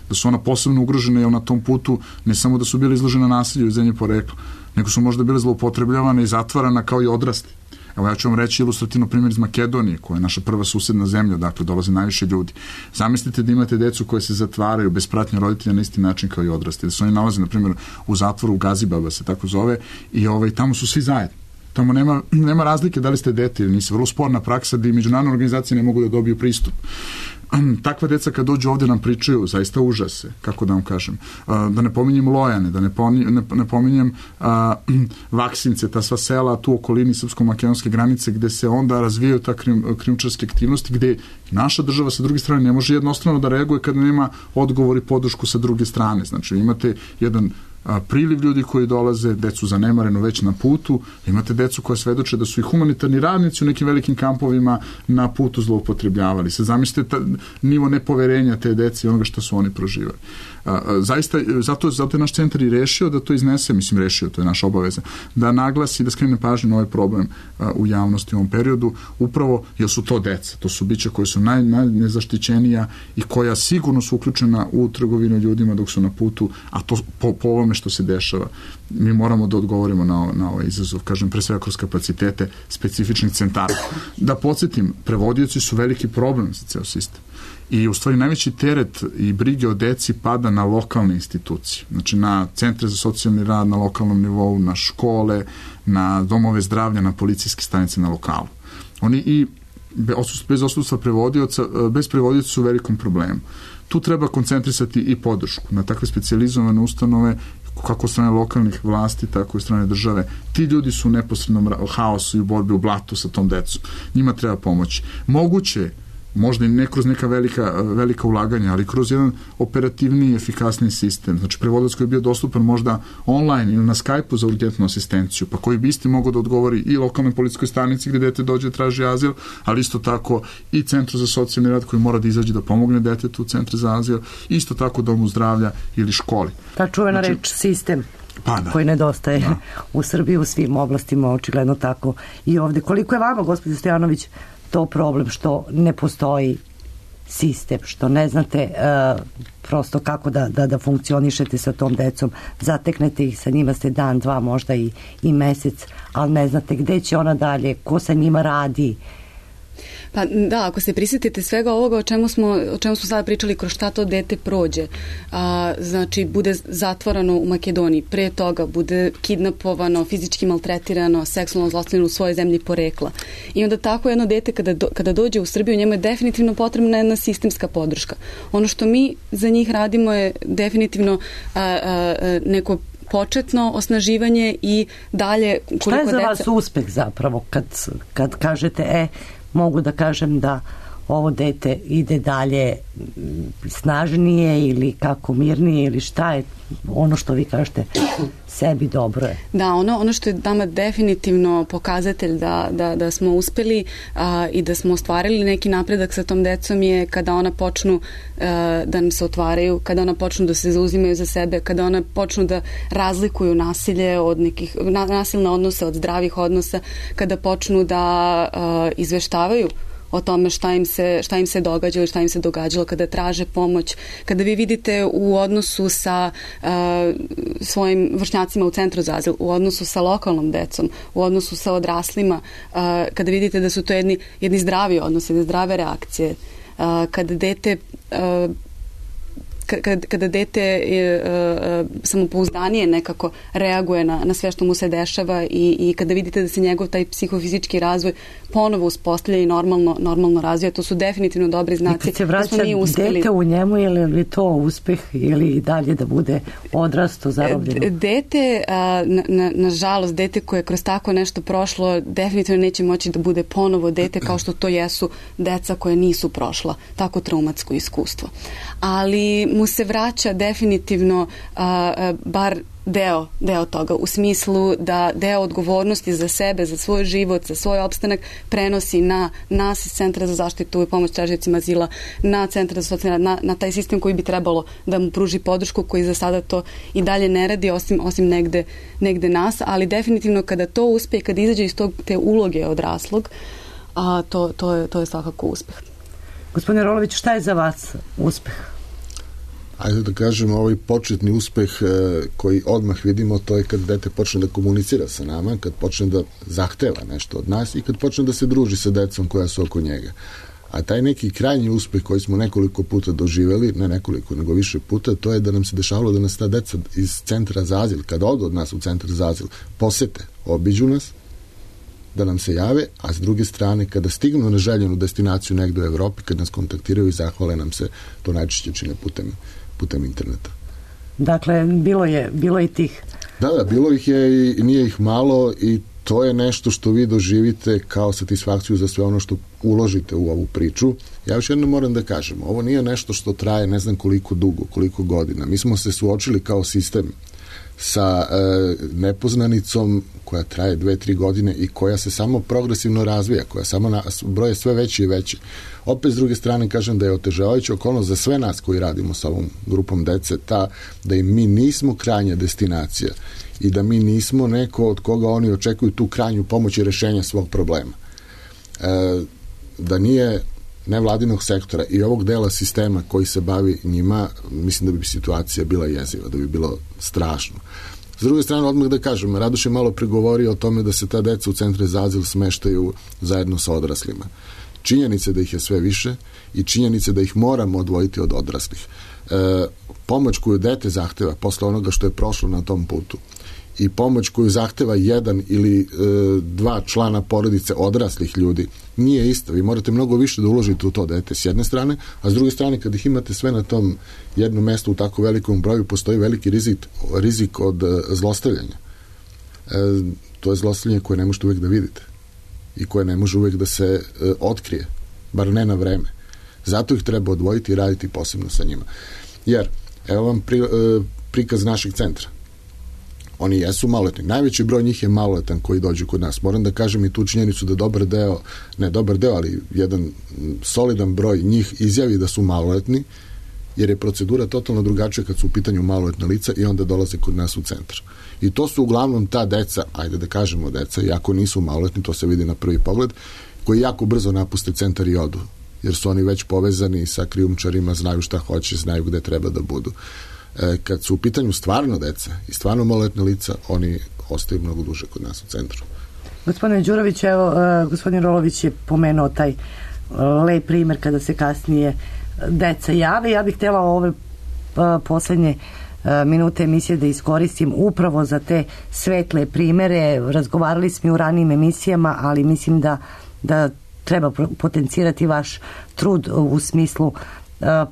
Speaker 3: Da su ona posebno ugrožena jer na tom putu ne samo da su bile izložene nasilju iz zemlje porekla, nego su možda bile zloupotrebljavane i zatvarana kao i odrasli. Evo ja ću vam reći ilustrativno primjer iz Makedonije, koja je naša prva susedna zemlja, dakle dolaze najviše ljudi. Zamislite da imate decu koje se zatvaraju bez pratnje roditelja na isti način kao i odrasli. Da se oni nalaze, na primjer, u zatvoru u Gazibaba se tako zove i ovaj, tamo su svi zajedno. Tamo nema, nema razlike da li ste dete ili nisi. Vrlo sporna praksa da i međunarodne organizacije ne mogu da dobiju pristup. takva deca kad dođu ovde nam pričaju zaista užase, kako da vam kažem. Da ne pominjem Lojane, da ne, pominjem, ne, ne pominjem a, Vaksince, ta sva sela tu u okolini srpsko-makedonske granice gde se onda razvijaju ta krim, krimčarske aktivnosti, gde naša država sa druge strane ne može jednostrano da reaguje kada nema odgovor i podršku sa druge strane. Znači imate jedan a, priliv ljudi koji dolaze, decu zanemareno već na putu, imate decu koja svedoče da su i humanitarni radnici u nekim velikim kampovima na putu zloupotrebljavali. Se zamislite ta, nivo nepoverenja te dece i onoga što su oni proživali. A, a, zaista, zato, zato je naš centar i rešio da to iznese, mislim rešio, to je naša obaveza, da naglasi, da skrene pažnju na ovaj problem a, u javnosti u ovom periodu, upravo jer su to deca, to su bića koje su naj, najnezaštićenija i koja sigurno su uključena u trgovinu ljudima dok su na putu, a to po, po ovome što se dešava, mi moramo da odgovorimo na, na ovaj izazov, kažem, pre svega kroz kapacitete specifičnih centara. Da podsjetim, prevodioci su veliki problem za ceo sistem. I u stvari najveći teret i brige o deci pada na lokalne institucije. Znači na centre za socijalni rad na lokalnom nivou, na škole, na domove zdravlja, na policijske stanice na lokalu. Oni i bez odsustva prevodioca, bez prevodioca su u velikom problemu. Tu treba koncentrisati i podršku na takve specijalizovane ustanove kako od strane lokalnih vlasti, tako i od strane države. Ti ljudi su u neposrednom haosu i u borbi u blatu sa tom decom. Njima treba pomoći. Moguće, možda i ne kroz neka velika, velika ulaganja, ali kroz jedan operativniji, efikasniji sistem. Znači, prevodilac koji je bio dostupan možda online ili na Skype-u za urgentnu asistenciju, pa koji bi isti mogao da odgovori i lokalnoj policijskoj stanici gde dete dođe i traži azil, ali isto tako i Centru za socijalni rad koji mora da izađe da pomogne detetu u Centru za azil, isto tako domu zdravlja ili školi.
Speaker 5: Ta čuvena
Speaker 3: znači,
Speaker 5: reč sistem.
Speaker 3: Pa da.
Speaker 5: Koji nedostaje
Speaker 3: da.
Speaker 5: u Srbiji u svim oblastima, očigledno tako i ovde. Koliko je vama, gospođo Stojanović, to problem što ne postoji sistem, što ne znate uh, prosto kako da, da, da funkcionišete sa tom decom, zateknete ih, sa njima ste dan, dva, možda i, i mesec, ali ne znate gde će ona dalje, ko sa njima radi.
Speaker 4: Pa da, ako se prisjetite svega ovoga o čemu smo, o čemu smo sada pričali, kroz šta to dete prođe, a, znači bude zatvorano u Makedoniji, pre toga bude kidnapovano, fizički maltretirano, seksualno zlostavljano u svojoj zemlji porekla. I onda tako jedno dete kada, do, kada dođe u Srbiju, njemu je definitivno potrebna jedna sistemska podrška. Ono što mi za njih radimo je definitivno a, a, neko početno osnaživanje i dalje koliko
Speaker 5: šta je za
Speaker 4: deca...
Speaker 5: vas uspeh zapravo kad, kad kažete e, mogu da kažem da ovo dete ide dalje snažnije ili kako mirnije ili šta je ono što vi kažete sebi dobro je?
Speaker 4: Da, ono, ono što je nama definitivno pokazatelj da, da, da smo uspeli a, i da smo ostvarili neki napredak sa tom decom je kada ona počnu a, da nam se otvaraju, kada ona počnu da se zauzimaju za sebe, kada ona počnu da razlikuju nasilje od nekih, na, nasilne odnose od zdravih odnosa, kada počnu da a, izveštavaju o tome šta im se, šta im se događa ili šta im se događalo, kada traže pomoć, kada vi vidite u odnosu sa uh, svojim vršnjacima u Centru za azil, u odnosu sa lokalnom decom, u odnosu sa odraslima, uh, kada vidite da su to jedni, jedni zdravi odnosi, jedne zdrave reakcije, uh, kada dete uh, Kada, kada dete je, uh, samopouzdanije nekako reaguje na, na sve što mu se dešava i, i kada vidite da se njegov taj psihofizički razvoj ponovo uspostavlja i normalno, normalno razvija, to su definitivno dobri znaci.
Speaker 5: I kad se vraća dete u njemu, je li to uspeh ili i dalje da bude odrasto, zarobljeno?
Speaker 4: Dete, na, na, nažalost, dete koje je kroz tako nešto prošlo, definitivno neće moći da bude ponovo dete kao što to jesu deca koje nisu prošla tako traumatsko iskustvo. Ali mu se vraća definitivno a, a, bar deo, deo toga, u smislu da deo odgovornosti za sebe, za svoj život, za svoj opstanak prenosi na nas iz Centra za zaštitu i pomoć tražiocima azila, na Centar za socijalni rad, na, na taj sistem koji bi trebalo da mu pruži podršku, koji za sada to i dalje ne radi, osim, osim negde, negde nas, ali definitivno kada to uspe, kada izađe iz tog, te uloge odraslog, a, to, to, je, to je svakako uspeh.
Speaker 5: Gospodine Rolović, šta je za vas uspeh?
Speaker 7: Ajde da kažem, ovaj početni uspeh koji odmah vidimo, to je kad dete počne da komunicira sa nama, kad počne da zahteva nešto od nas i kad počne da se druži sa decom koja su oko njega. A taj neki krajnji uspeh koji smo nekoliko puta doživeli, ne nekoliko, nego više puta, to je da nam se dešavalo da nas ta deca iz Centra za azil, kada odu od nas u Centar za azil, posete, obiđu nas da nam se jave, a s druge strane, kada stignu na željenu destinaciju negde u Evropi, kad nas kontaktiraju i zahvale nam se, to najčešće čine putem, putem interneta.
Speaker 5: Dakle, bilo je, bilo je tih.
Speaker 7: Da, da, bilo ih je i nije ih malo i to je nešto što vi doživite kao satisfakciju za sve ono što uložite u ovu priču. Ja još jedno moram da kažem, ovo nije nešto što traje ne znam koliko dugo, koliko godina. Mi smo se suočili kao sistem sa e, nepoznanicom koja traje dve, tri godine i koja se samo progresivno razvija, koja samo na, broje sve veći i veći. Opet s druge strane kažem da je otežavajuća okolnost za sve nas koji radimo sa ovom grupom dece ta da im mi nismo krajnja destinacija i da mi nismo neko od koga oni očekuju tu krajnju pomoć i rešenja svog problema. E, da nije nevladinog sektora i ovog dela sistema koji se bavi njima, mislim da bi situacija bila jeziva, da bi bilo strašno. S druge strane, odmah da kažem, Radoš je malo pregovorio o tome da se ta deca u centre za azil smeštaju zajedno sa odraslima. Činjenice da ih je sve više i činjenice da ih moramo odvojiti od odraslih. E, pomoć koju dete zahteva posle onoga što je prošlo na tom putu i pomoć koju zahteva jedan ili e, dva člana porodice odraslih ljudi nije ista. Vi morate mnogo više da uložite u to dete s jedne strane, a s druge strane kad ih imate sve na tom jednom mestu u tako velikom broju, postoji veliki rizik, rizik od e, zlostavljanja. E, to je zlostavljanje koje ne možete uvek da vidite i koje ne može uvek da se e, otkrije, bar ne na vreme. Zato ih treba odvojiti i raditi posebno sa njima. Jer, evo vam pri, e, prikaz našeg centra. Oni jesu maloletni. Najveći broj njih je maloletan koji dođu kod nas. Moram da kažem i tu činjenicu da dobar deo, ne dobar deo, ali jedan solidan broj njih izjavi da su maloletni, jer je procedura totalno drugačija kad su u pitanju maloletna lica i onda dolaze kod nas u centar. I to su uglavnom ta deca, ajde da kažemo deca, iako nisu maloletni, to se vidi na prvi pogled, koji jako brzo napuste centar i odu, jer su oni već povezani sa krijumčarima, znaju šta hoće, znaju gde treba da budu. E, kad su u pitanju stvarno deca i stvarno maloletna lica, oni ostaju mnogo duže kod nas u centru.
Speaker 5: Gospodine Đurović, evo, uh, gospodin Rolović je pomenuo taj uh, lep primer kada se kasnije deca jave. Ja bih htjela ove uh, poslednje uh, minute emisije da iskoristim upravo za te svetle primere. Razgovarali smo u ranijim emisijama, ali mislim da, da treba potencirati vaš trud u smislu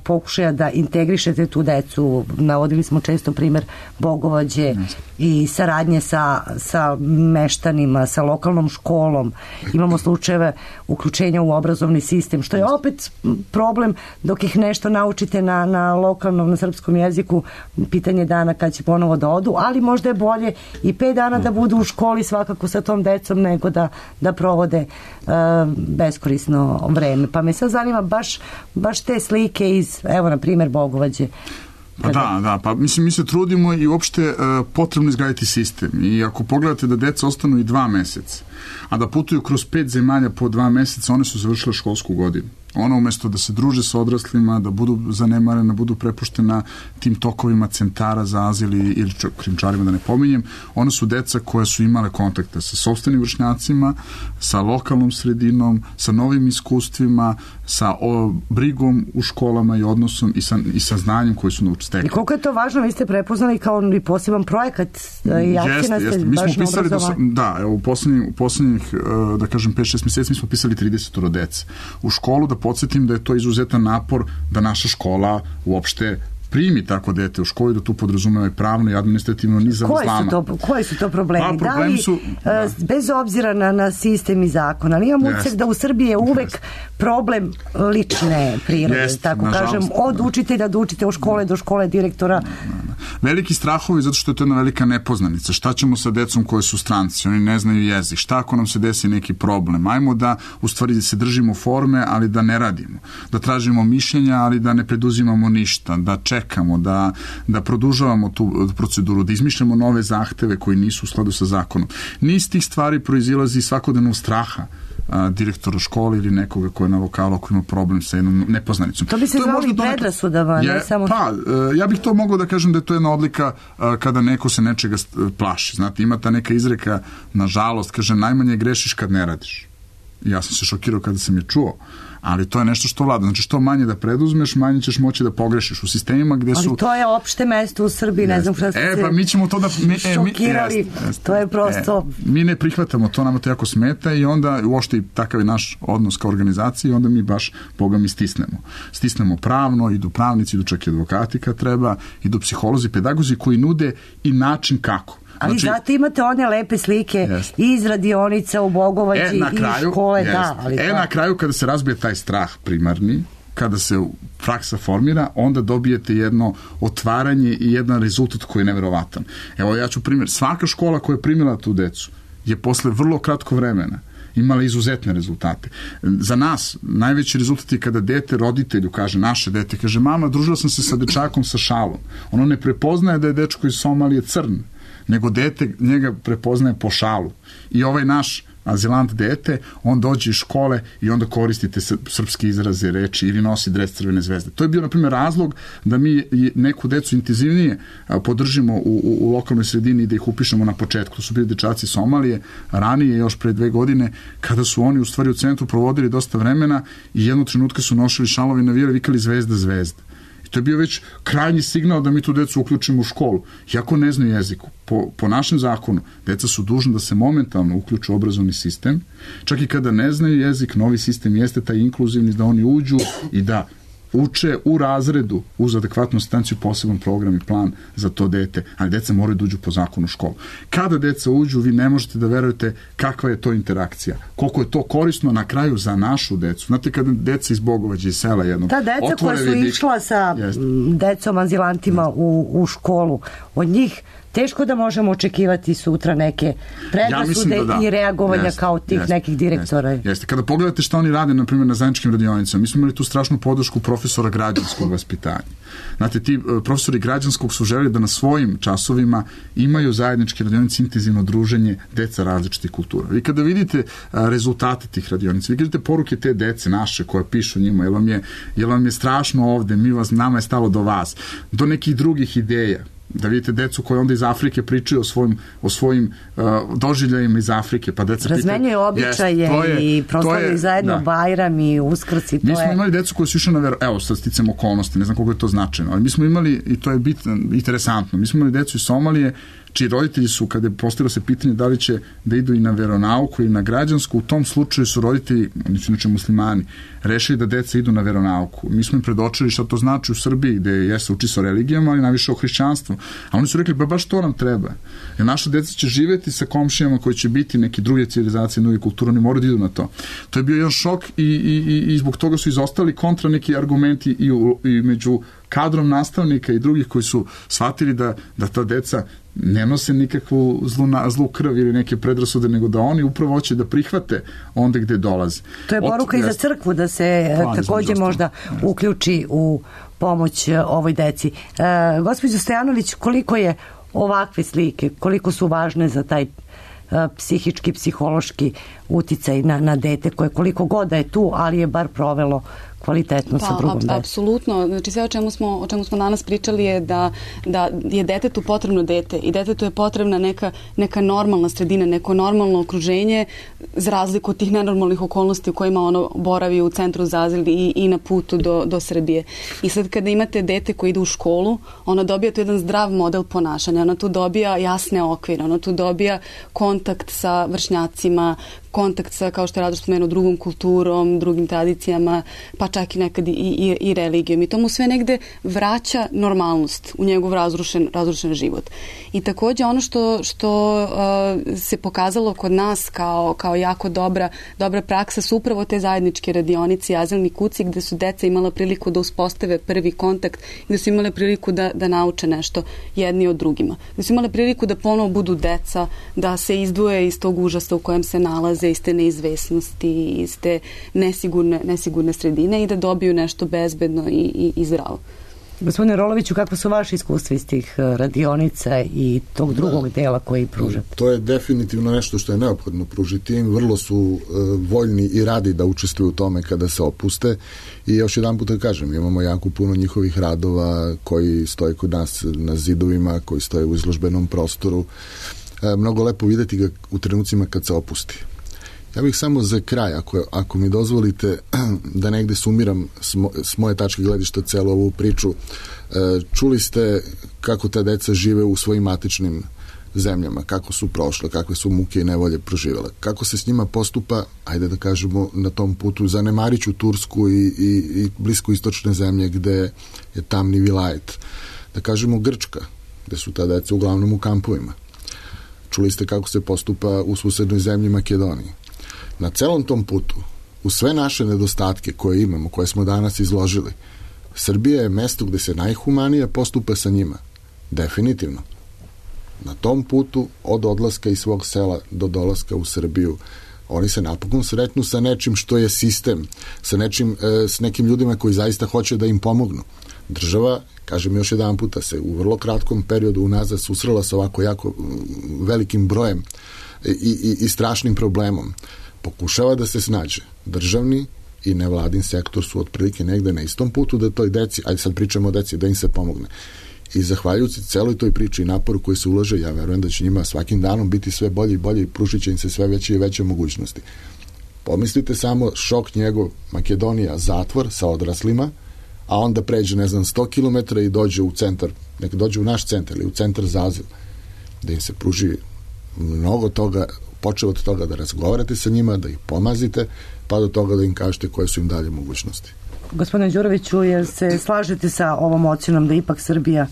Speaker 5: pokušaja da integrišete tu decu. Navodili smo često primer Bogovađe i saradnje sa, sa meštanima, sa lokalnom školom. Imamo slučajeve uključenja u obrazovni sistem, što je opet problem dok ih nešto naučite na, na lokalnom, na srpskom jeziku, pitanje dana kad će ponovo da odu, ali možda je bolje i pet dana da budu u školi svakako sa tom decom nego da, da provode uh, beskorisno vreme. Pa me sad zanima baš, baš te slike iz, evo na primjer Bogovađe.
Speaker 3: Pa da, da, pa mislim mi se trudimo i uopšte uh, potrebno izgraditi sistem i ako pogledate da deca ostanu i dva meseca, a da putuju kroz pet zemalja po dva meseca, one su završile školsku godinu. Ona umesto da se druže sa odraslima, da budu zanemarena, budu prepuštena tim tokovima centara za azil ili krijumčarima, da ne pominjem, one su deca koja su imale kontakte sa sopstvenim vršnjacima, sa lokalnom sredinom, sa novim iskustvima, sa o, brigom u školama i odnosom i sa, i sa znanjem koji su naučili.
Speaker 5: I koliko je to važno, vi ste prepoznali kao i poseban projekat i akcija ste
Speaker 3: mi
Speaker 5: baš
Speaker 3: smo pisali
Speaker 5: do,
Speaker 3: da, evo, u poslednjih, u poslednjih da kažem pet šest meseci mi smo pisali trideset dece u školu, da podsjetim da je to izuzetan napor da naša škola uopšte primi tako dete u školi, da tu podrazumeva i pravno i administrativno ni za zlama.
Speaker 5: To, koji su to problemi?
Speaker 3: Pa, problemi
Speaker 5: da li,
Speaker 3: su, da.
Speaker 5: Bez obzira na, na sistem i zakon, ali imam utisak da u Srbiji je uvek problem lične prirode, Jest, tako kažem, od učitelja do učitelja u škole do škole direktora.
Speaker 3: Veliki strahovi zato što je to jedna velika nepoznanica. Šta ćemo sa decom koji su stranci? Oni ne znaju jezik. Šta ako nam se desi neki problem? Ajmo da u stvari se držimo forme, ali da ne radimo. Da tražimo mišljenja, ali da ne preduzimamo ništa. Da čekamo, da, da produžavamo tu proceduru, da izmišljamo nove zahteve koji nisu u skladu sa zakonom. Niz tih stvari proizilazi svakodnevnog straha direktora škole ili nekoga ko je na lokalu ako ima problem sa jednom nepoznanicom.
Speaker 5: To bi se zvalo i predrasudama, ne samo...
Speaker 3: Pa, ja bih to mogao da kažem da je to jedna odlika kada neko se nečega plaši. Znate, ima ta neka izreka, nažalost, kaže, najmanje grešiš kad ne radiš. Ja sam se šokirao kada sam je čuo, ali to je nešto što vlada. Znači, što manje da preduzmeš, manje ćeš moći da pogrešiš u sistemima gde su...
Speaker 5: Ali to je opšte mesto u Srbiji, ne znam šta ste
Speaker 3: e, pa mi ćemo to da... Mi, e, mi,
Speaker 5: šokirali,
Speaker 3: jest, jest,
Speaker 5: to je prosto...
Speaker 3: E, mi ne prihvatamo to, nama to jako smeta i onda uopšte i takav je naš odnos kao organizaciji i onda mi baš, Boga mi, stisnemo. Stisnemo pravno, idu pravnici, idu čak i advokati kad treba, idu psiholozi, pedagozi koji nude i način kako.
Speaker 5: Ali znači, zato imate one lepe slike jest. iz radionica u Bogovači
Speaker 3: e,
Speaker 5: i škole,
Speaker 3: jest.
Speaker 5: da. Ali
Speaker 3: e,
Speaker 5: to...
Speaker 3: na kraju kada se razbije taj strah primarni, kada se praksa formira, onda dobijete jedno otvaranje i jedan rezultat koji je neverovatan. Evo, ja ću primjer, svaka škola koja je primila tu decu je posle vrlo kratko vremena imala izuzetne rezultate. Za nas najveći rezultat je kada dete roditelju kaže, naše dete, kaže, mama, družila sam se sa dečakom sa šalom. Ono ne prepoznaje da je dečko iz Somalije crn, nego dete njega prepoznaje po šalu. I ovaj naš azilant dete, on dođe iz škole i onda koristite srpske izraze, reči ili nosi dres Crvene zvezde. To je bio, na primjer, razlog da mi neku decu intenzivnije podržimo u, u, u lokalnoj sredini i da ih upišemo na početku. To su bili dečaci Somalije, ranije, još pre dve godine, kada su oni u stvari u centru provodili dosta vremena i jednog trenutka su nosili šalovi, navijali, vikali zvezda, zvezda. To je bio već krajnji signal da mi tu decu uključimo u školu. Iako ne znaju jeziku, po, po našem zakonu, deca su dužna da se momentalno uključu u obrazovni sistem. Čak i kada ne znaju jezik, novi sistem jeste taj inkluzivni, da oni uđu i da uče u razredu uz adekvatnu asistenciju poseban program i plan za to dete, ali deca moraju da uđu po zakonu u školu. Kada deca uđu, vi ne možete da verujete kakva je to interakcija, koliko je to korisno na kraju za našu decu. Znate, kada deca iz Bogovađa, iz sela jednog,
Speaker 5: ta deca koja su vidik... išla sa Jeste. decom azilantima u, u školu, od njih teško da možemo očekivati sutra neke predrasude ja da da. i reagovanja jeste, kao tih jeste, nekih direktora.
Speaker 3: Jeste, jeste. Kada pogledate šta oni rade, na primjer, na zajedničkim radionicama, mi smo imali tu strašnu podršku profesora građanskog vaspitanja. Znate, ti profesori građanskog su želeli da na svojim časovima imaju zajedničke radionice, intenzivno druženje deca različitih kultura. Vi kada vidite rezultate tih radionica, vi vidite poruke te dece naše koje pišu njima, jel vam je, jel vam je strašno ovde, mi vas, nama je stalo do vas, do nekih drugih ideja. Da vidite decu koje onda iz Afrike pričaju o svojim, o svojim uh, doživljajima iz Afrike, pa deca
Speaker 5: razmenjuju običaje yes, i proslavljaju zajedno da. Bajram i Uskrs i to
Speaker 3: mi smo
Speaker 5: je...
Speaker 3: imali decu koji su išli na vero... evo sad sticam okolnosti, ne znam koliko je to značajno, ali mi smo imali, i to je bitno, interesantno, mi smo imali decu iz Somalije čiji roditelji su, kada je postavilo se pitanje da li će da idu i na veronauku ili na građansku, u tom slučaju su roditelji, oni su inače muslimani, rešili da deca idu na veronauku. Mi smo im predočili šta to znači u Srbiji, gde jeste uči se o religijama, ali najviše o hrišćanstvu. A oni su rekli, ba baš to nam treba. Jer naša deca će živeti sa komšijama koji će biti neke druge civilizacije, druge kulture, oni moraju da idu na to. To je bio jedan šok i, i, i, i zbog toga su izostali kontra neki argumenti i, u, i među kadrom nastavnika i drugih koji su shvatili da, da ta deca ne nose nikakvu zlu, zlu krv ili neke predrasude, nego da oni upravo hoće da prihvate onda gde dolaze.
Speaker 5: To je poruka Od, i za crkvu da se plan, takođe možda uključi u pomoć ovoj deci. E, gospođo Stojanović, koliko je ovakve slike, koliko su važne za taj psihički, psihološki uticaj na, na dete koje koliko god da je tu, ali je bar provelo kvalitetno pa, sa drugom decom.
Speaker 4: Apsolutno. Znači sve o čemu smo, o čemu smo danas pričali je da, da je detetu potrebno dete i detetu je potrebna neka, neka normalna sredina, neko normalno okruženje za razliku od tih nenormalnih okolnosti u kojima ono boravi u centru za azil i, i na putu do, do Srbije. I sad kada imate dete koje ide u školu, ona dobija tu jedan zdrav model ponašanja, ona tu dobija jasne okvire, ona tu dobija kontakt sa vršnjacima, kontakt sa, kao što je Radoš spomenuo, drugom kulturom, drugim tradicijama, pa čak i nekad i, i, i religijom. I to mu sve negde vraća normalnost u njegov razrušen, razrušen život. I takođe ono što, što uh, se pokazalo kod nas kao, kao jako dobra, dobra praksa su upravo te zajedničke radionice i azilni kuci gde su deca imala priliku da uspostave prvi kontakt, gde su imale priliku da, da nauče nešto jedni od drugima. Gde su imale priliku da ponovo budu deca, da se izdvoje iz tog užasa u kojem se nalaze, iz te neizvesnosti, iz te nesigurne, nesigurne sredine i da dobiju nešto bezbedno i, i, i zdravo.
Speaker 5: Gospodine Roloviću, kako su vaše iskustva iz tih radionica i tog drugog da, dela koji pružate?
Speaker 7: To je definitivno nešto što je neophodno pružiti. Vrlo su uh, voljni i radi da učestvuju u tome kada se opuste i još jedan put da kažem, imamo jako puno njihovih radova koji stoje kod nas na zidovima, koji stoje u izložbenom prostoru. Uh, mnogo lepo videti ga u trenucima kad se opusti. Ja bih samo za kraj, ako, ako mi dozvolite da negde sumiram s, mo, s moje tačke gledišta celu ovu priču. Čuli ste kako ta deca žive u svojim matičnim zemljama, kako su prošle, kakve su muke i nevolje proživjela. Kako se s njima postupa, ajde da kažemo, na tom putu, zanemariću Tursku i, i, i blisko istočne zemlje gde je tamni vilajet. Da kažemo Grčka, gde su ta deca uglavnom u kampovima. Čuli ste kako se postupa u susednoj zemlji Makedoniji. Na celom tom putu, u sve naše nedostatke koje imamo, koje smo danas izložili, Srbija je mesto gde se najhumanije postupa sa njima. Definitivno. Na tom putu, od odlaska iz svog sela do dolaska u Srbiju, oni se napokon sretnu sa nečim što je sistem, sa nečim, e, s nekim ljudima koji zaista hoće da im pomognu. Država, kažem još jedan puta, se u vrlo kratkom periodu unazad susrela sa ovako jako velikim brojem i, i, i strašnim problemom. Pokušava da se snađe. Državni i nevladin sektor su otprilike negde na istom putu da toj deci, ajde sad pričamo o deci, da im se pomogne. I zahvaljujući celoj toj priči i naporu koji se ulaže, ja verujem da će njima svakim danom biti sve bolje i bolje i pružit će im se sve veće i veće mogućnosti. Pomislite samo šok njegov, Makedonija, zatvor sa odraslima, a onda pređe, ne znam, sto kilometara i dođe u centar, nek dođe u naš centar ili u centar za azil, da im se pruži mnogo toga, počeo od toga da razgovarate sa njima, da ih pomazite, pa do toga da im kažete koje su im dalje mogućnosti.
Speaker 5: Gospodine Đuroviću, jer se slažete sa ovom ocjenom da ipak Srbija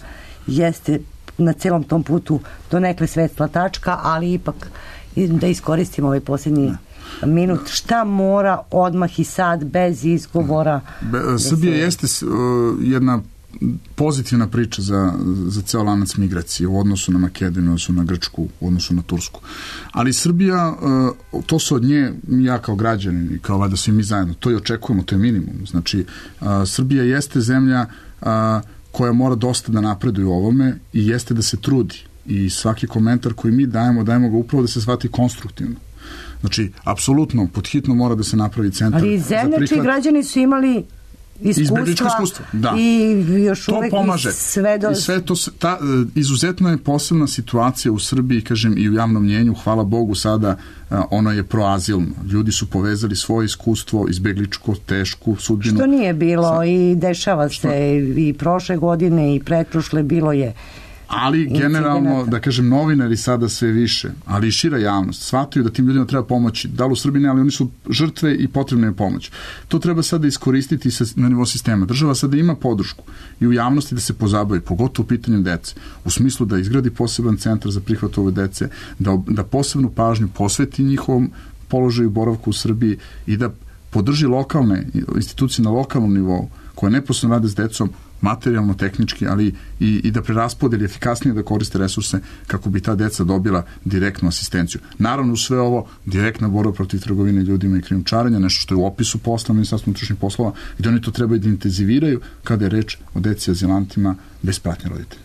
Speaker 5: jeste na celom tom putu donekle svetla tačka, ali ipak da iskoristimo ovaj posljednji minut, šta mora odmah i sad bez izgovora?
Speaker 3: Be, Srbija se... jeste uh, jedna pozitivna priča za, za ceo lanac migracije u odnosu na Makedoniju, u odnosu na Grčku, u odnosu na Tursku. Ali Srbija, uh, to su od nje, ja kao građanin i kao vada svi mi zajedno, to i očekujemo, to je minimum. Znači, uh, Srbija jeste zemlja uh, koja mora dosta da napreduje u ovome i jeste da se trudi. I svaki komentar koji mi dajemo, dajemo ga upravo da se shvati konstruktivno. Znači, apsolutno, podhitno mora da se napravi centar.
Speaker 5: Ali zemlje čiji građani su imali iskustva,
Speaker 3: iskustva da.
Speaker 5: I još
Speaker 3: to
Speaker 5: uvek
Speaker 3: pomaže.
Speaker 5: Sve, do...
Speaker 3: I sve to, ta, izuzetno je posebna situacija u Srbiji, kažem, i u javnom mnjenju, hvala Bogu sada, ono je proazilno. Ljudi su povezali svoje iskustvo, izbegličko, tešku sudbinu.
Speaker 5: Što nije bilo
Speaker 3: sa...
Speaker 5: i dešava
Speaker 3: Što?
Speaker 5: se i prošle godine i pretprošle bilo je.
Speaker 3: Ali generalno, da kažem, novinari sada sve više, ali i šira javnost, shvataju da tim ljudima treba pomoći. Da li u Srbiji ne, ali oni su žrtve i potrebna je pomoć. To treba sada iskoristiti na nivou sistema. Država sada ima podršku i u javnosti da se pozabavi, pogotovo u pitanju dece, u smislu da izgradi poseban centar za prihvat ove dece, da, da posebnu pažnju posveti njihovom položaju boravku u Srbiji i da podrži lokalne institucije na lokalnom nivou koje neposredno rade s decom, materijalno, tehnički, ali i, i da preraspodeli efikasnije da koriste resurse kako bi ta deca dobila direktnu asistenciju. Naravno, u sve ovo direktna borba protiv trgovine ljudima i krijumčarenja, nešto što je u opisu posla Ministarstva unutrašnjih poslova, gde oni to trebaju da intenziviraju kada je reč o deci azilantima bez pratnje roditelja.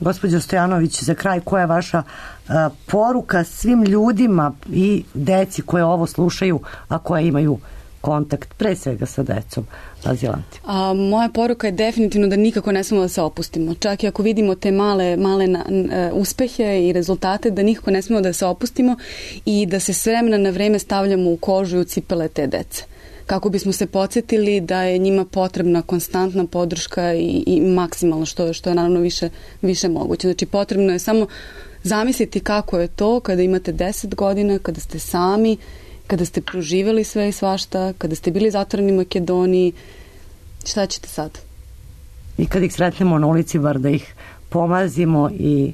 Speaker 5: Gospođo Stojanović, za kraj, koja je vaša a, poruka svim ljudima i deci koje ovo slušaju, a koje imaju kontakt pre svega sa decom azilantima?
Speaker 4: A, moja poruka je definitivno da nikako ne smemo da se opustimo. Čak i ako vidimo te male, male na, n, uspehe i rezultate, da nikako ne smemo da se opustimo i da se s vremena na vreme stavljamo u kožu i u cipele te dece. Kako bismo se podsjetili da je njima potrebna konstantna podrška i, i maksimalno što, što je naravno više, više moguće. Znači potrebno je samo zamisliti kako je to kada imate deset godina, kada ste sami, kada ste proživjeli sve i svašta, kada ste bili zatvoreni u Makedoniji, šta ćete sad?
Speaker 5: I kad ih sretnemo na ulici, bar da ih pomazimo i...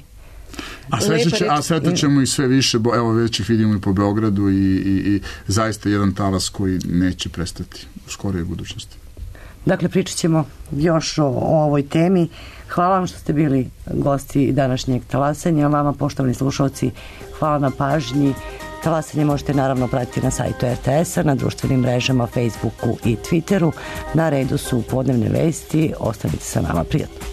Speaker 3: A sretat ćemo i sve više, bo, evo već ih vidimo i po Beogradu i, i, i zaista jedan talas koji neće prestati u skorijoj budućnosti.
Speaker 5: Dakle, pričat ćemo još o, o ovoj temi. Hvala vam što ste bili gosti današnjeg talasanja. Vama, poštovani slušalci, hvala na pažnji. Talasanje možete naravno pratiti na sajtu er te es a, na društvenim mrežama, Facebooku i Twitteru. Na redu su podnevne vesti. Ostanite sa nama, prijatno.